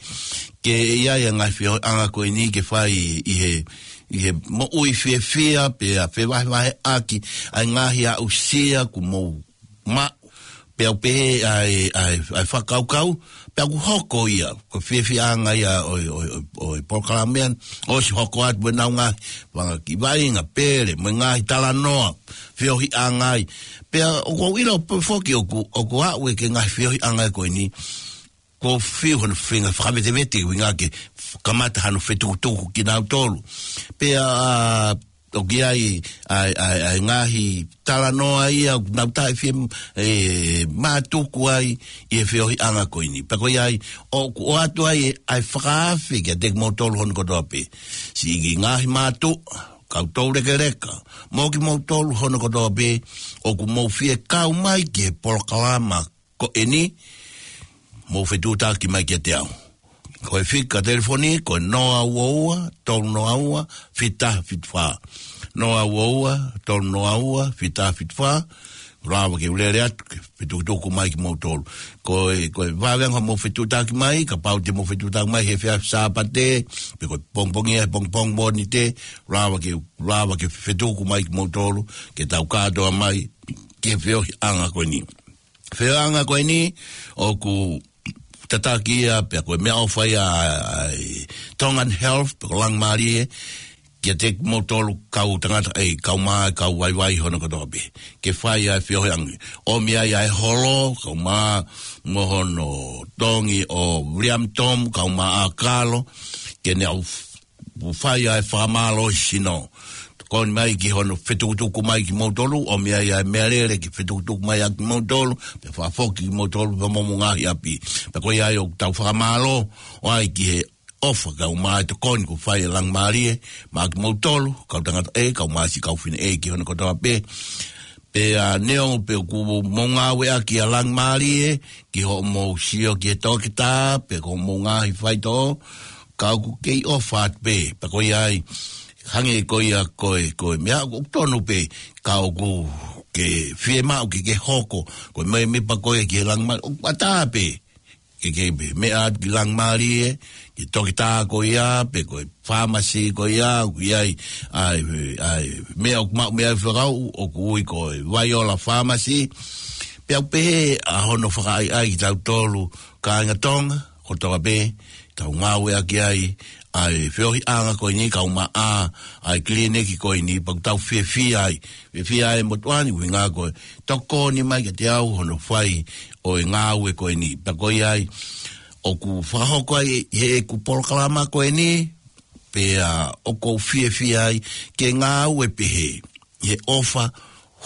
Ke ʻi ai e ngaahi feohiʻanga ko eni ke fai ʻi he, ʻi he moʻui fiefia, pea fevahevaheʻaki ʻa e ngaahi aʻusia kuo mou maʻu. Pea ʻoku pehē ʻa e, ʻa e, ʻa e fakakaukau, pea ʻoku hoko ia, ko e fiefiaʻanga ia ʻo e, ʻo e, ʻo e, ʻo e polokalama ni, ʻosi hoko atu ʻenau ngaahi, fanga kiʻi vaʻinga pele, mo e ngaahi talanoa, feohiʻanga ai. Pea ʻoku ou ʻilo pē foki ʻoku, ʻoku aʻu ia ki he ngaahi feohiʻanga ko eni, kuo fiu hono feinga fakavetevete, ʻuhinga ke kamata hano fetukutuku kinautolu. Pea, ʻoku ʻi ai ʻa e, ʻa e, ʻa e ngaahi talanoa ia, ʻoku nau taʻefie, ʻe, mātuku ai ʻi he feohiʻanga ko eni. Pea ko ia ai, ʻoku ʻoatu ai ʻa e fakaafe kiate kimoutolu hono kotoa pē. Siʻi ngaahi mātuʻa, kau toulekeleka, mo kimoutolu hono kotoa pē, ʻoku mou fie kau mai ki he polokalama ko eni, mou fetuʻutaki mai kiate au. Ko e fika telefoni, ko e noa ua ua, tolu noa ua, fita fitu fā. Noa ua ua, tolu noa ua, fita fitu fā. Lava ke u lele atu, ke fetukutuku mai kimoutolu. Ko e, ko e vāhenga mou fetuʻutaki mai, kapau te mou fetuʻutaki mai he efiafi Sāpate, pe ko e pongipongi ʻa e pongipongi Mōnite, lava ke, lava ke fetuku mai kimoutolu, ke tau kātoa mai, ki he feohiʻanga ko eni. Feohiʻanga ko eni, ʻoku tataki ia, pea ko e meʻaʻofa ia ʻa e Tongan Health, pe ko Langimālie, kiate kimoutolu kau tangataʻeiki, kau mai, kau vaivai hono kotoa pē. Ke fai ʻa e feohiʻanga. ʻOmi ai ʻa e holo, kau mai, mo hono tongi ʻo William Tom, kau mai ʻa Kalo, ke ne ʻau ʻo fai ʻa e fakamālohisino. Tokoni mai ki hono fetukutuku mai kimoutolu, ʻomi ai ʻa e meʻalele ke fetukutuku mai ʻa kimoutolu, pea fakafoki kimoutolu, pea mo homou ngaahi ʻapi. Pea ko ia ai ʻoku tau fakamālō, ʻo ai ki he ʻofa kau mai tokoni kuo fai ʻe Langimālie, maʻa kimoutolu, kau tangataʻeiki, kau mai siʻi kau fineʻeiki hono kotoa pē. Pea neongo pe ʻoku mou ngāueʻaki ʻa Langimālie, ki hoʻomou sio ki he toketā, pe ko hoʻomou ngaahi faitoʻo, ka ʻoku kei ʻofa atu pē, pea ko ia ai, hangē ko ia ko e, ko e meʻa ʻoku tonu pē, ka ʻoku ke fiemaʻu ke ke hoko ko e mēmipa ko ē ki he Langi Mālie, ʻoku ʻatā pē ke ke meʻa atu ki Langi Mālie, ki he toketā ko ia, pe ko e fāmasi ko ia, ʻoku ʻi ai ʻa e, ʻa e meʻa ʻoku maʻu mei ai e fekau, ʻoku ui ko e Vaiola Pharmacy. Pea ʻoku pehē ʻa hono fakaʻaiʻai kitautolu kāinga Tonga kotoa pē, tau ngāueʻaki ai ʻa e feohiʻanga ko eni, kaumaʻā ʻa e kiliniki ko eni, pea ʻoku tau fiefia ai. Fiefia ai e motuʻa ni, ʻuhinga ko e tokoni mai kiate au hono fai ʻo e ngāue ko eni. Pea ko ia ai ʻoku fakahoko ai ʻi heʻeku polokalama ko eni, pea ʻoku ou fiefia ai ke ngāue pehē, ʻi he ʻofa,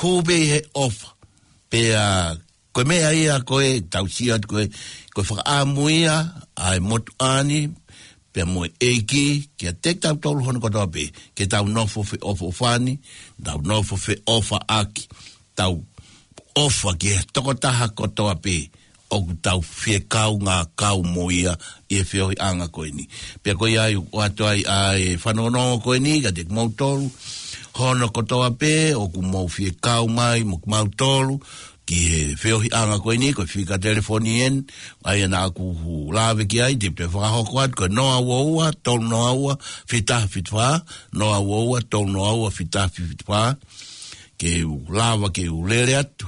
hū pē ʻi he ʻofa. Pea ko e meʻa ia ko ē tau sio atu ko ē, ko e fakaʻamu ia ʻa e motuʻa ni pea mo e ʻEiki kiate kitautolu hono kotoa pē, ke tau nofo feʻofoʻofani, tau nofo feʻofaʻaki, tau ʻofa ki he tokotaha kotoa pē ʻoku tau fie kaungākau mo ia ʻi he feohiʻanga ko eni. Pea ko ia ai ʻoatu ai ʻa e fanongonongo ko eni kiate kimoutolu hono kotoa pē ʻoku mou fie kau mai mo kimautolu ki he feohiʻanga ko eni, ko e fika telefoni eni, ʻa ia naʻa ku lave ki ai, te u toe fakahoko atu, ko e noa ua ua, tolu noa ua, fita fitu fā, noa ua ua, tolu noa ua, fita fitu fā, ke u lava, ke u lele atu,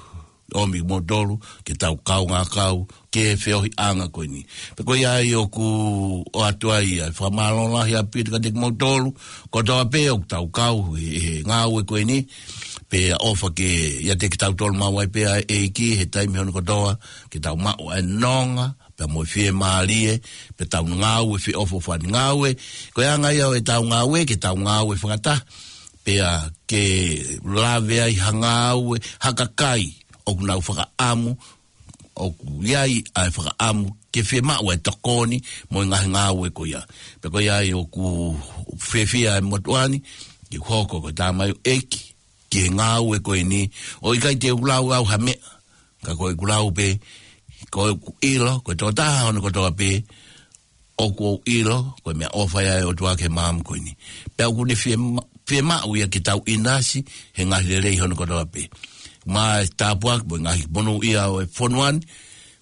ʻomi kimoutolu, ke tau kaungākau ki he feohiʻanga ko eni. Pea ko ia ai ʻoku ʻoatu ai ʻa e fakamālō lahi ʻaupito kiate kimoutolu kotoa pē ʻoku tau kau he, he ngāue ko eni, pea ʻofa ke ʻiate kitautolu maʻu ai pē ʻa e ʻEiki he taimi hono kotoa, ke tau maʻu ʻa e nonga pea mo e fiemālie, pea tau ngāue feʻofoʻofani. Ngāue, ko e anga ia ʻo ʻetau ngāue, ke tau ngāue fakataha, pea ke lave ai ha ngāue, ha kakai ʻoku nau fakaʻamu, ʻoku ʻi ai ʻa e fakaʻamu ke fiemaʻu ʻa e tokoni mo e ngaahi ngāue ko ia. Pea ko ia ai ʻoku fiefia e motuʻa ni ke u hoko ko e tamaioʻeiki ki he ngāue ko eni, ʻo ʻikai te u lau au ha meʻa, ka ko ʻeku lau pē, ko ʻeku ʻilo, ko e tokotaha hono kotoa pē, ʻoku ou ʻilo, ko e meʻaʻofa ia ʻa e ʻOtua ki he maama ko eni. Pea ʻoku ne fiema-, fiemaʻu ia ke tau ʻinasi he ngaahi lelei hono kotoa pē. Maʻa e tāpuaki mo e ngaahi monūʻia ʻo e fonua ni,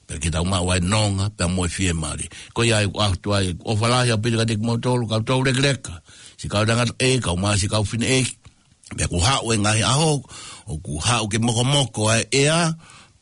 pea ke tau maʻu ʻa e nonga, pea mo e fiemālie. Ko ia ai ʻoku ʻoatu ai ʻofa lahi ʻaupito kiate kimoutolu, kau toulekeleka, siʻi kau tangataʻeiki, kau mā siʻi kau fineʻeiki, pea ʻoku haʻu e ngaahi ʻaho, ʻoku haʻu ke mokomoko ʻa e ʻea,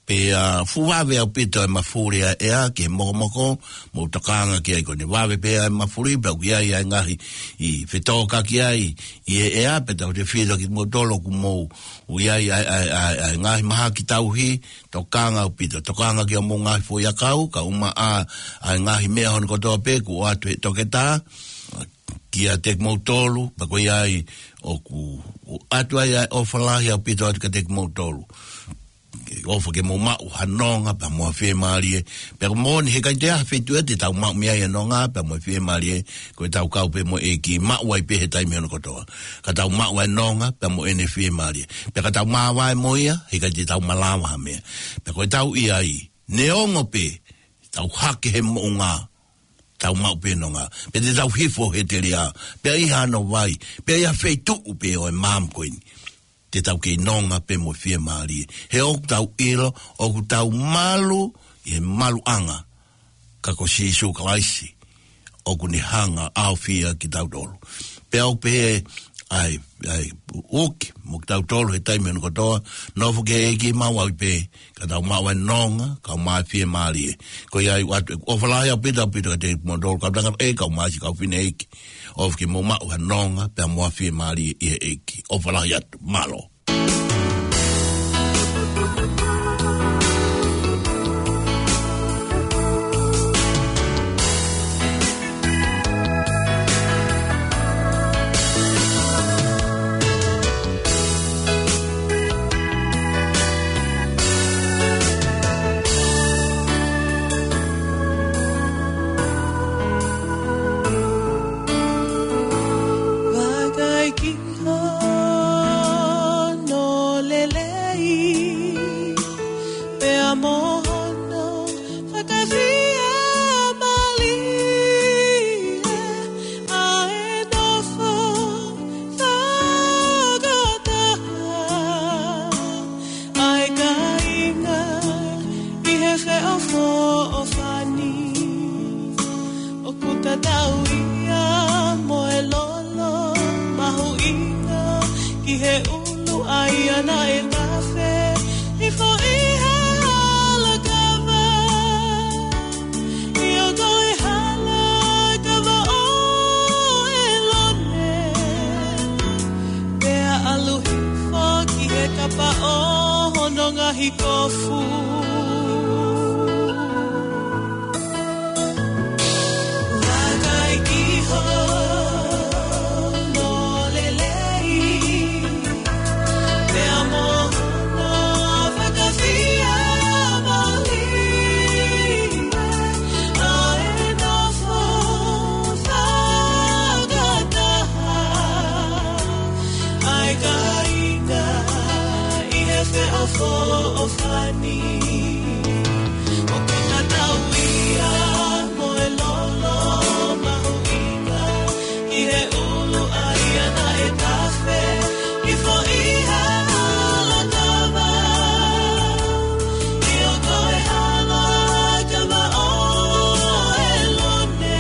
pea fuʻu vave ʻaupito e mafuli ʻa e ʻea ke mokomoko, mou tokanga ki ai, ko ʻene vave pē ʻa e mafuli, pea ʻoku ʻi ai ʻa e ngaahi ʻi fetōkaki ai ʻi he ʻea, pea tau te filo kimoutolu ʻoku mou ʻi ai ʻa e, ʻa e, ʻa e, ʻa e ngaahi mahaki tauhi, tokanga ʻaupito, tokanga ki hoʻomou ngaahi foʻiʻakau, kae ʻumaʻā ʻa e ngaahi meʻa hono kotoa pē kuo ʻoatu ʻe he toketā kiate kimoutolu, pea ko ia ai ʻoku ʻoatu ai ʻa e ʻofa lahi ʻaupito atu kiate kimoutolu. Ke ʻofa ke mou maʻu ha nonga pea mo ha fiemālie. Pea ko e moʻoni he ʻikai toe ʻi ai ha feituʻu ia te tau maʻu mei ai e nonga pea mo e fiemālie, ko ʻetau kau pē mo e ʻEiki, maʻu ai pē he taimi hono kotoa. Ka tau maʻu ʻa e nonga pea mo ʻene fiemālie, pea ka tau māvae mo ia, he ʻikai te tau malava ha meʻa. Pea ko ʻetau ʻi ai, neongo pē tau hake he moʻunga, tau maʻu pē nonga. Pea te tau hifo he telia, pea ʻi hano vai, pea ʻi ha feituʻu pē ʻo e maama ko eni, te tau kei nonga pē mo fiemālie. He ʻoku tau ʻilo ʻoku tau malu ʻi he maluʻanga, ka ko Sīsū Kalaisi ʻoku ne hanga ʻo ʻaofia kitautolu. Pea ʻoku pehē ai, ʻa e ʻEiki mo kitautolu he taimi hono kotoa, nofo ki he ʻEiki, maʻu ai pē, ka tau maʻu ʻa e nonga, kae ʻumaʻā e fiemālie. Ko ia ai ʻoatu ʻeku ʻofa lahi ʻaupito, ʻaupito kiate kimoutolu, kau tangataʻeiki, kau mā siʻi kau fineʻeiki. ʻOfa ke mou maʻu ha nonga pea mo ha fiemālie ʻi he ʻEiki. ʻOfa lahi atu, mālō. Naʻe tafe hifo ʻi he hala kava, ʻio ko e hala kava ʻo ʻElone, pea ʻalu hifo ki he kapa ʻo hono ngaahi kofu. Vakai ki hono lelei, pea mo hono fakafiemālie, naʻe nofo fakataha ʻa e kāinga ʻi he feʻofoʻofani. ʻO kona tauia mo e lolo mahuʻinga ʻi he ʻulu ʻa ia naʻe tafe hifo ʻi he hala kava, ʻio ko e hala kava ʻo ʻElone,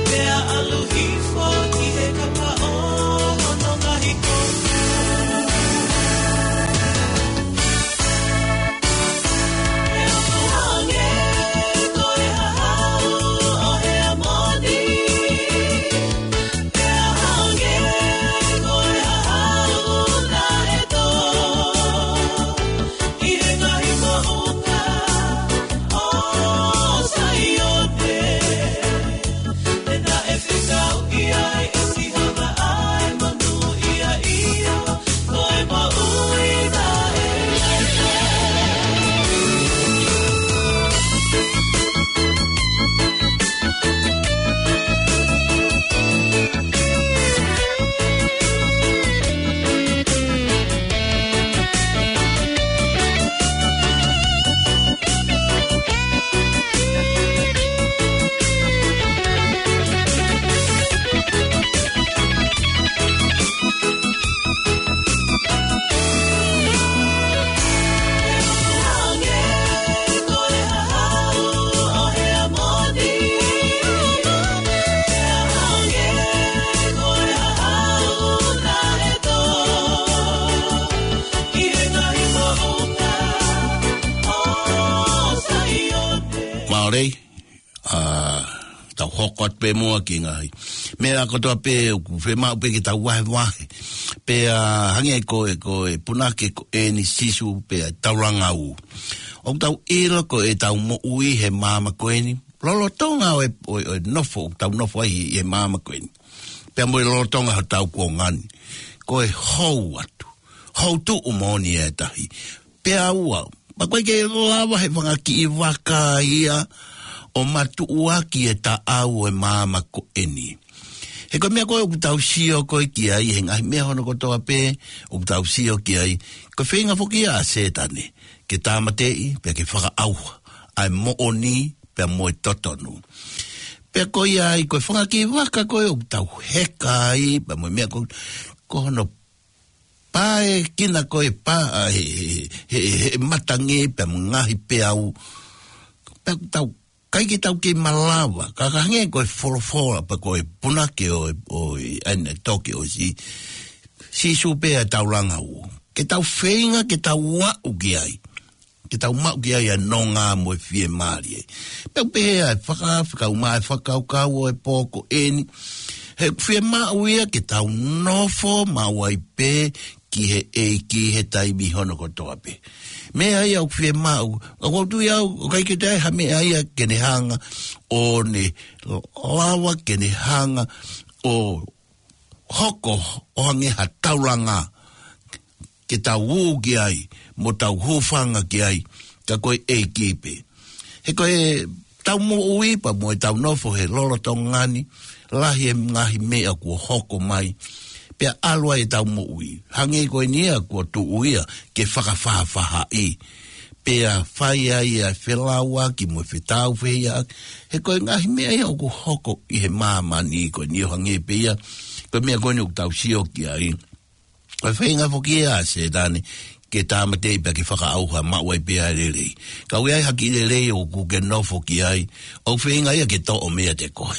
pea ʻalu hifo ki he kapa ʻo hono ngaahi kofu. Pea hangē ko e hahau ʻo Heamoni, pea hangē ko e hahau naʻe tō ʻi he ngaahi moʻunga ʻo Saione. Pea naʻe fekauʻi ai ʻe Sihova ʻa e monūʻia, ʻio ko e moʻui taʻengata. Mālō. ʻA, tau hoko atu pē muʻa ki he ngaahi meʻa kotoa pē ʻoku fiemaʻu pē ke tau vahevahe. Pea hangē ko e, ko e punake ko eni Sīsū pea taulanga ʻū. ʻOku tau ʻilo ko ʻetau moʻui he māmani ko eni, lolotonga ʻo e, ʻo e, ʻo e nofo, ʻoku tau nofo ai he māmani ko eni, pea mo e lolotonga hotau kuonga ni, ko e hou atu, hou tuʻu moʻoni e tahi. Pea ua, pea ʻoku ʻikai ke lava ʻe he fanga kiʻi vaka ia ʻo matuʻuaki e taʻau ʻo e māmani ko eni. He ko e meʻa ko ē ʻoku tau sio ko ē ki ai, he ngaahi meʻa hono kotoa pē ʻoku tau sio ki ai, ko e feinga foki ia ʻa Sētane ke tāmateʻi, pea ke fakaʻauha ʻa e moʻoni pea mo e totonu. Pea ko ia ai, ko e fanga kiʻi vaka ko ē ʻoku tau heka ai, pea mo e meʻa ko, ko hono pae kina ko e pā, ʻa, he, he, he, he matangi pea mo e ngaahi peau. Pea ʻoku tau, ʻikai ke tau kei malava, ka, ka hangē ko e folofola pea ko e punake ʻo, ʻo, ʻa eni toki ʻosi, Sīsū pea taulanga ʻū. Ke tau feinga, ke tau aʻu ki ai, ke tau maʻu ki ai ʻa e nonga mo e fiemālie. Pea ʻoku pehē ʻa e faka, fakaʻumaʻā e fakakaukau ʻo e pō ko eni, he ʻoku fiemaʻu ia ke tau nofo maʻu ai pē ki he ʻEiki he taimi hono kotoa pē. Meʻa ia ʻoku fiemaʻu, ʻoku ou tui au, ʻoku ʻikai ke toe ʻi ai ha meʻa ia ke ne hanga ʻo ne lava ke ne hanga ʻo hoko ʻo hangē ha taulanga ke tau ū ki ai, mo tau hūfanga ki ai, ka ko e ʻEiki pē. He ko ʻetau moʻui pea mo ʻetau nofo he lolotonga ni, lahi e ngaahi meʻa kuo hoko mai, pea ʻalu ai ʻetau moʻui. Hangē ko eni ia kuo tuʻu ia ke fakafaʻafaʻahi. Pea fai ai ʻa e felauʻaki mo e fetāufehiʻaki. He ko e ngaahi meʻa ia ʻoku hoko ʻi he māmani ko eni ʻo hangē pē ia ko e meʻa ko eni ʻoku tau sio ki ai. Ko e feinga foki ia ʻa Sētane ke tāmateʻi pea ke fakaʻauha maʻu ai pē ʻa e lelei. Ka ʻoku ʻi ai ha kiʻi lelei ʻoku ke nofo ki ai, ʻoku feinga ia ke toʻo meiate koe.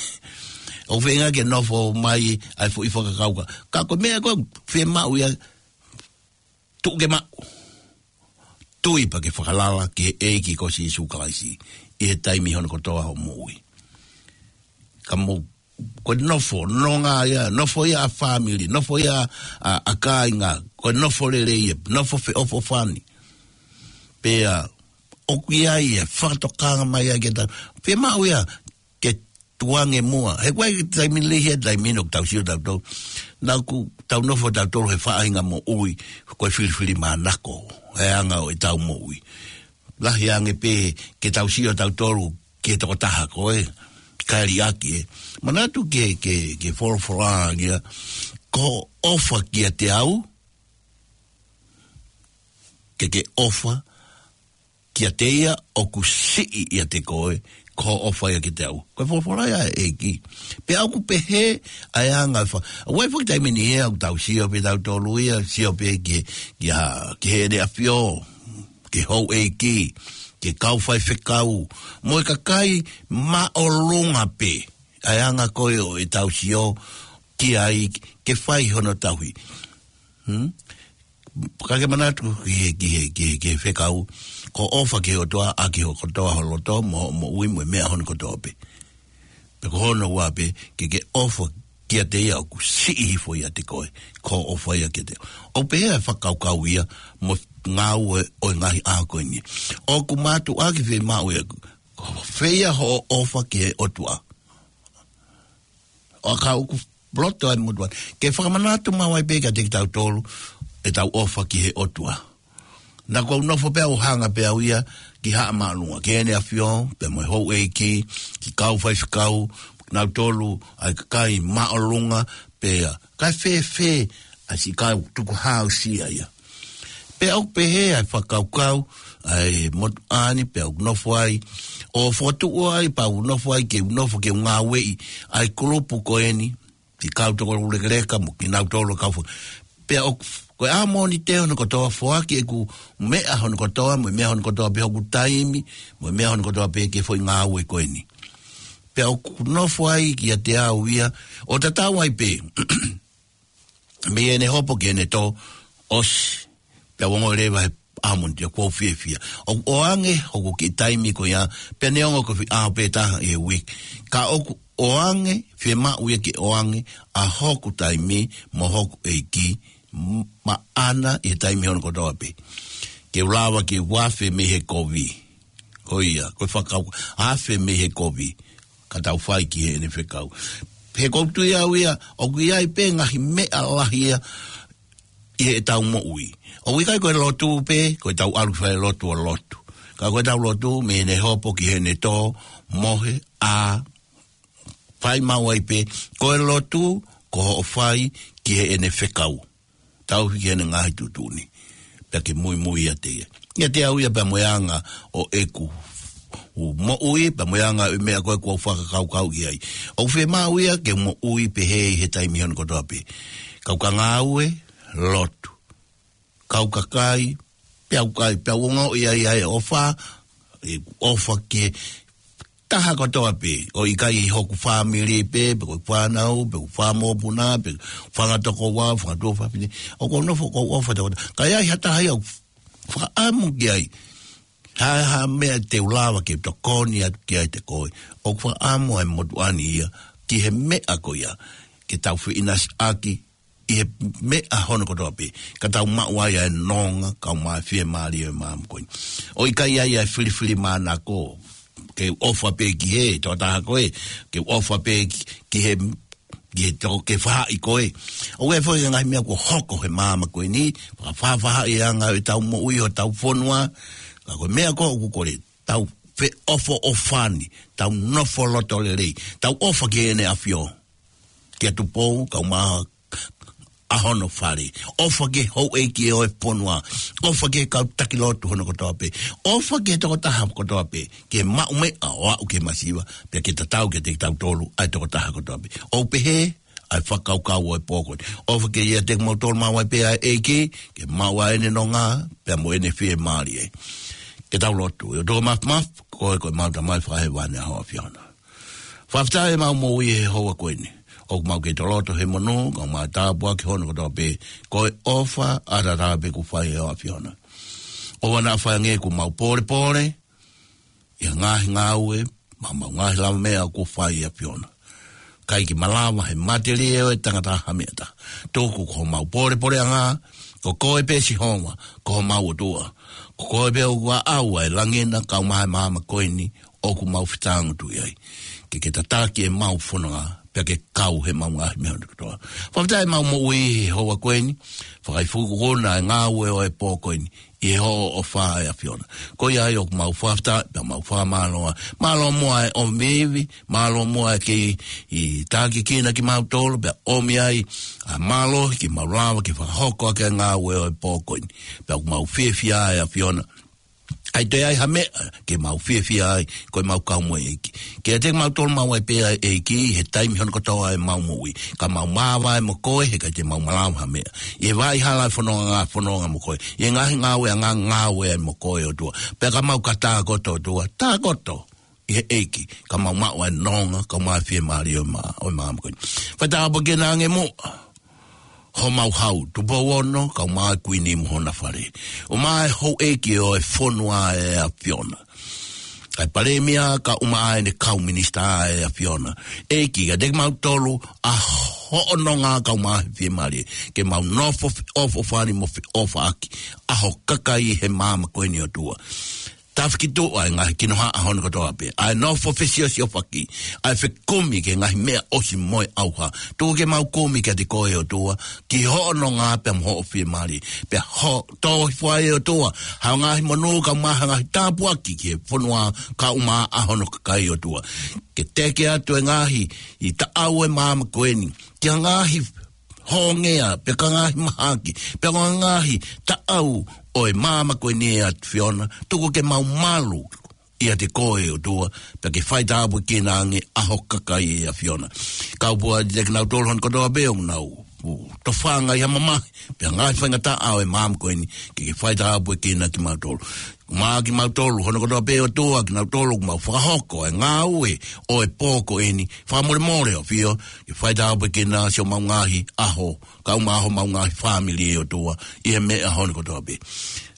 ʻOku feinga ke nofo mai ʻa e foʻi fakakaukau. Ka ko e meʻa ko ē fiemaʻu ia, tuʻu ke maʻu. Tui pea ke fakalala ki he ʻEiki ko Sīsū Kalaisi ʻi he taimi hono kotoa hoʻo moʻui. Ka mou, ko e nofo, nonga ia, nofo ia ʻa fāmili, nofo ia ʻa, ʻa kāinga, ko e nofo lelei ia, nofo feʻofoʻofani. Pea ʻoku ʻi ai e fakatokanga mai ai ke tau, fiemaʻu ia ke tukuange muʻa. He ʻoku ʻi ai e taimi lelei he taimi ʻoku tau sio tautolu. Naʻa ʻoku tau nofo tautolu he faʻahinga moʻui ko e filifilimānako he anga ʻo ʻetau moʻui. Lahi ange pē ke tau sio tautolu ki he tokotaha ko ē, kae liʻaki ē. Manatu ke, ke, ke folofola ia, ko e ʻofa kiate au, ke ke ʻofa kiate ia ʻoku siʻi ʻiate koe, ko hoʻo ʻofa ia kiate au. Ko e folofola ia ʻa e ʻEiki. Pea ʻoku pehē ʻa e anga e fa-, ʻoku ʻi ai foki taimi ni ʻoku tau sio pē tautolu ia, sio pē ki, ki ha, ki heʻene ʻAfio, ki he houʻeiki, ki he kau faifekau, mo e kakai māʻolunga pē. ʻA e anga ko ē ʻo ʻetau sio ki ai ke fai hono tauhi. Hmm? Ka ke manatu ki he, ki he, ki he, ki he fekau, ko e ʻofa ki he ʻOtua ʻaki ho kotoa ho loto, mo, moʻui mo e meʻa hono kotoa pē. Pea ko hono ua pē, ke ke ʻofa kiate ia ʻoku siʻi hifo ʻiate koe, ko hoʻo ʻofa ia kiate ia. ʻOku pehē ʻa e fakakaukau ia, mo e ngāue ʻo e ngaahi ʻaho ko eni. ʻOku mātuʻaki fiemaʻu ia, ko fē ia hoʻo ʻofa ki he ʻOtua. ʻO ka ʻoku loto ai motuʻa. Ke fakamanatu maʻu ai pē kiate kitautolu, ʻetau ʻofa ki he ʻOtua. Naʻa ku nofo pē au hanga pē au ia ki Haʻa Māʻolunga, ki heʻene ʻAfio, pea mo e houʻeiki, ki he kau faifekau, nautolu, ʻa e kakai māʻolunga, pea, kae fēfē, ʻa siʻi kau tukuhāusia ia. Pea ʻoku pehē ʻa e fakakaukau, ʻa e motuʻa ni pea ʻoku nofo ai, ʻo fokotuʻu ai pea ʻoku nofo ai ke u nofo ke u ngāueʻi, ʻa e kulupu ko eni, ki he kau tokoulekeleka mo kinautolu kau fo-, pea ʻoku, ko e ʻaho ni te hono kotoa foaki ʻeku meʻa hono kotoa, mo e meʻa hono kotoa pē hoku taimi, mo e meʻa hono kotoa pē ki he foʻi ngāue ko eni. Pea ʻoku nofo ai kiate au ia, ʻo tatau ai pē, mei heʻene hopo ki heʻene tō, ʻosi, pea u ongoʻi leva he ʻaho ni te kuo u fiefia. ʻOku ʻoange hoku kiʻi taimi ko ia, pea neongo ko e foʻi ʻaho pē taha ʻi he uike. Ka ʻoku ʻoange, fiemaʻu ia ke ʻoange, ʻa hoku taimi, mo hoku ʻEiki, m-, maʻana ʻi he taimi hono kotoa pē. Ke u lava ke u afe mei he kovi. Ko ia, ko e fakau, afe mei he kovi. Ka tau fai ki heʻene fekau. He ʻoku ou tui au ia, ʻoku ʻi ai pē ngaahi meʻa lahi ia, ʻi heʻetau moʻui. ʻOku ʻikai ko e lotu pē, ko ʻetau ʻalu fai lotu ʻo lotu. Ka ko ʻetau lotu, mei heʻene hopo ki heʻene tō, mohe, ʻā, fai maʻu ai pē, ko e lotu, ko hoʻo fai ki heʻene fekau. Tauhi ki heʻene ngaahi tuʻutuʻuni. Pea ke muimui ʻiate ia. ʻIate au ia pea mo e anga ʻo ʻeku u moʻui, pea mo e anga ʻo e meʻa ko ē kuo u fakakaukau ki ai. ʻOku fiemaʻu ia ke moʻui pehē ʻi he taimi hono kotoa pē. Kau ka ngāue, lotu. Kau kakai, pea u kai, pea u ongoʻi ai ʻa e ʻofa, ʻeku ʻofa ki he taha kotoa pē, ʻo ʻikai ʻi hoku fāmili pē, pe ko e fānau, pe ko e fanga mokopuna, pe fanga tokoua, fanga tuofāfine, ʻoku ou nofo ʻoku ou ʻofa tautolu. Ka ʻi ai ha taha ia ʻoku fakaʻamu ki ai, ha, ha meʻa te u lava ke tokoni atu ki ai ʻiate koe, ʻoku fakaʻamu ʻa e motuʻa ni ia, ki he meʻa ko ia, ke tau feʻinasiʻaki, ʻi he meʻa hono kotoa pē, ka tau maʻu ai ʻa e nonga, kau mai fiemālie ʻo e maama ko eni. ʻO ʻikai ʻi ai ʻa e filifilimānako, ke u ʻofa pē ki he, tokotaha ko ē, ke u ʻofa pē ki, ki he, ki he toko, ki he faʻahi ko ē. ʻOku ʻi ai foki ngaahi meʻa kuo hoko he maama ko eni, fakafaʻafaʻahi ʻa e anga ʻo ʻetau moʻui ʻo ʻetau fonua, ka ko e meʻa ko ē ʻoku kole, tau feʻofoʻofani, tau nofo loto lelei, tau ʻofa ki heʻene ʻAfio. Kia Tupou, kau mai ʻa hono fale. ʻOfa ki he houʻeiki ʻo e fonua. ʻOfa ki he kau taki lotu hono kotoa pē. ʻOfa ki he tokotaha kotoa pē. Ke maʻu meʻa ʻo aʻu ki he masiva. Pea ke tatau kiate kitautolu ʻa e tokotaha kotoa pē. ʻOku pehē ʻa e fakakaukau ʻo e pō ko eni. ʻOfa ke ʻiate kimoutolu maʻu ai pē ʻa e ʻEiki. Ke maʻu ʻa ʻene nonga. Pea mo ʻene fiemālie. Ke tau lotu. ʻE ʻOtua Māfimafi, ko e, ko e mau Tamai fakahēvani ʻa hoʻo ʻAfio na. Fakafetaʻi ʻemau moʻui he houa ko eni. ʻOku mau kei toloto he monū, ka mau tāpuaki hono kotoa pē, ko e ʻofa ʻataʻatā pē kuo fai ʻe ho ʻAfiona. ʻOua naʻa fai ange kuo mau pōlepole ʻi he ngaahi ngāue, mo ʻemau ngaahi lavameʻa kuo fai ʻe he ʻAfiona. ʻIkai ke malava ʻe he matelie ʻo e tangata ha meʻa ʻe taha. Tuku ko homau pōlepoleʻanga, ko koe pē Sihova, ko homau ʻOtua. Ko koe pē ʻoku ʻaʻau ʻa e langi na kae ʻumaʻā e maama ko eni, ʻoku mau fetāngutuʻi ai. Ke ke tataki ʻemau fononga, pea ke kau heʻemau ngaahi meʻa kotoa. Fakafetaʻi ʻemau moʻui he houa ko eni, fakaifukuna e ngāue ʻo e pō ko eni, ʻi he hoʻo ʻofa ʻe ʻAfiona. Ko ia ai ʻoku mau fakafetaʻi, pea mau fakamālō. Mālō muʻa e ʻomi ivi, mālō muʻa e kei ʻi tākiekina kimautolu, pea ʻomi ai ʻa e mālohi ke mau lava ke fakahoko ʻaki e ngāue ʻo e pō ko eni. Pea ʻoku mau fiefia ʻe ʻAfiona. ʻAi toe ʻi ai ha meʻa ke mau fiefia ai, ko ʻemau kau mo e ʻEiki. Ke ʻiate kimautolu maʻu ai pē ʻa e ʻEiki, he taimi hono kotoa ʻemau moʻui. Ka mau māvae mo koe, he ʻikai te mau malava ha meʻa. ʻI he vaʻa hala ʻo e fononga, fononga mo koe. ʻI he ngaahi ngāueʻanga, ngāue ai mo koe ʻOtua. Pea ka mau ka tākoto ʻOtua, tākoto ʻi he ʻEiki, ka mau maʻu ʻa e nonga, ka mau fiemālie ʻo e mā, ʻo e maama ko eni. Fai tāpuekina ange muʻa homau hau, Tupou Ono, kae ʻumaʻā e Kuini mo hona fale. ʻUmaʻā e houʻeiki ʻo e fonua ʻe ʻAfiona. ʻA e Palēmia kae ʻumaʻā ʻene kau minisitā ʻe ʻAfiona. ʻEiki, ʻiate kimautolu ʻa hoʻo nonga kae ʻumaʻā e fiemālie. Ke mau nofo feʻofoʻofani mo feʻofaʻaki ʻa ho kakai he maama ko eni ʻOtua. Tafikituʻa e ngaahi kinohaʻa hono kotoa pē. ʻA e nofo fesiosiofaki. ʻA e fekumi ki he ngaahi meʻa ʻosi mo e ʻauha. Tuku ke mau kumi kiate koe ʻOtua. Ki hoʻo nonga pea mo hoʻo fiemālie. Pea ho tohi fua ʻe ʻOtua. Ha ngaahi monū kae ʻumaʻā ha ngaahi tāpuaki ki he fonua kae ʻumaʻā hono kakai ʻOtua. Ke teke atu e ngaahi ʻi taʻau e maama ko eni. Ki ha ngaahi hongea, pe ko e ngaahi mahaki, pe ko e ngaahi taʻau ʻo e maama ko eni ʻe ʻAfiona, tuku ke mau malu ʻiate koe ʻOtua, pea ke fai tāpuekina ange ʻa ho kakai ʻe ʻAfiona. Kau pua ʻiate kinautolu hono kotoa pē ʻoku nau tofanga ʻi ha mamahi, pe ngaahi faingataʻa ʻo e maama ko eni, ke ke fai tāpuekina kimautolu. Mo kimautolu, hono kotoa pē ʻOtua, kinautolu, ʻoku mau fakahoko e ngāue ʻo e pō ko eni, fakamolemole ʻAfio, ke fai tāpuekina siʻomau ngaahi ʻaho, kae ʻumaʻā homau ngaahi fāmili ʻOtua, ʻi he meʻa hono kotoa pē.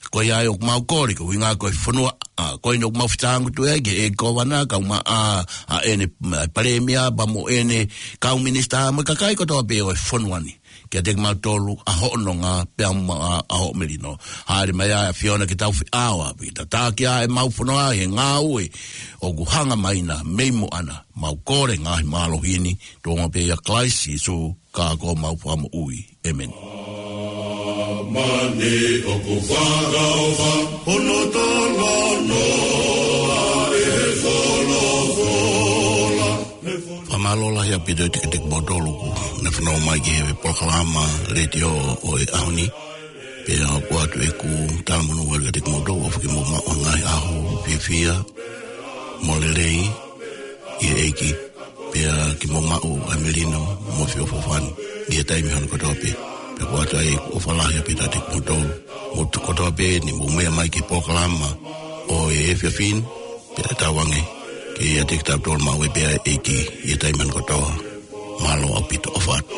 Ko ia ai ʻoku mau kole, ko e ʻuhinga ko e fonua, ʻa, ko eni ʻoku mau fetāngutuʻi ai, ki he ʻEiki Kōvana, kae ʻumaʻā, ʻa ʻene, ʻa e Palēmia, pea mo ʻene kau minisitā, mo e kakai kotoa pē ʻo e fonua ni. Kiate kimautolu, ʻa hoʻo nonga, pea mo ʻa, ʻa hoʻo melino. Hāʻele mai ʻa e ʻAfiona ke tau feʻao ʻapi. Tataki ʻa ʻemau fononga he ngāue ʻoku hanga mai na, mei muʻa na. Mau kole ngaahi mālohi ni, tuʻunga pē ʻia Kalaisi Sīsū, ka ko homau Fakamoʻui. ʻĒmeni. Mani ʻoku fakaʻofa, hono tala noa ʻe he folofola. Fakamālō lahi ʻaupito ʻiate kimoutolu kuo ne fanongo mai ki he polokalama letiō ʻo e ʻaho ni. Pea ʻoatu ʻeku talamonū atu kiate kimoutolu ʻofa ke mou maʻu ha ngaahi ʻaho fiefia mo lelei ʻi he ʻEiki. Pea ke mou maʻu ʻa e melino mo e feʻofoʻofani ʻi he taimi hono kotoa pē. Pea ʻoatu ai ʻeku ʻofa lahi ʻaupito ʻiate kimoutolu. Mou tuku kotoa pē ʻeni mou meʻa mai ki he polokalama ʻo e efiafi ni. Pea tauange ke ʻiate kitautolu maʻu ai pē ʻa e ʻEiki ʻi he taimi hono kotoa. Mālō ʻaupito, ʻofa atu.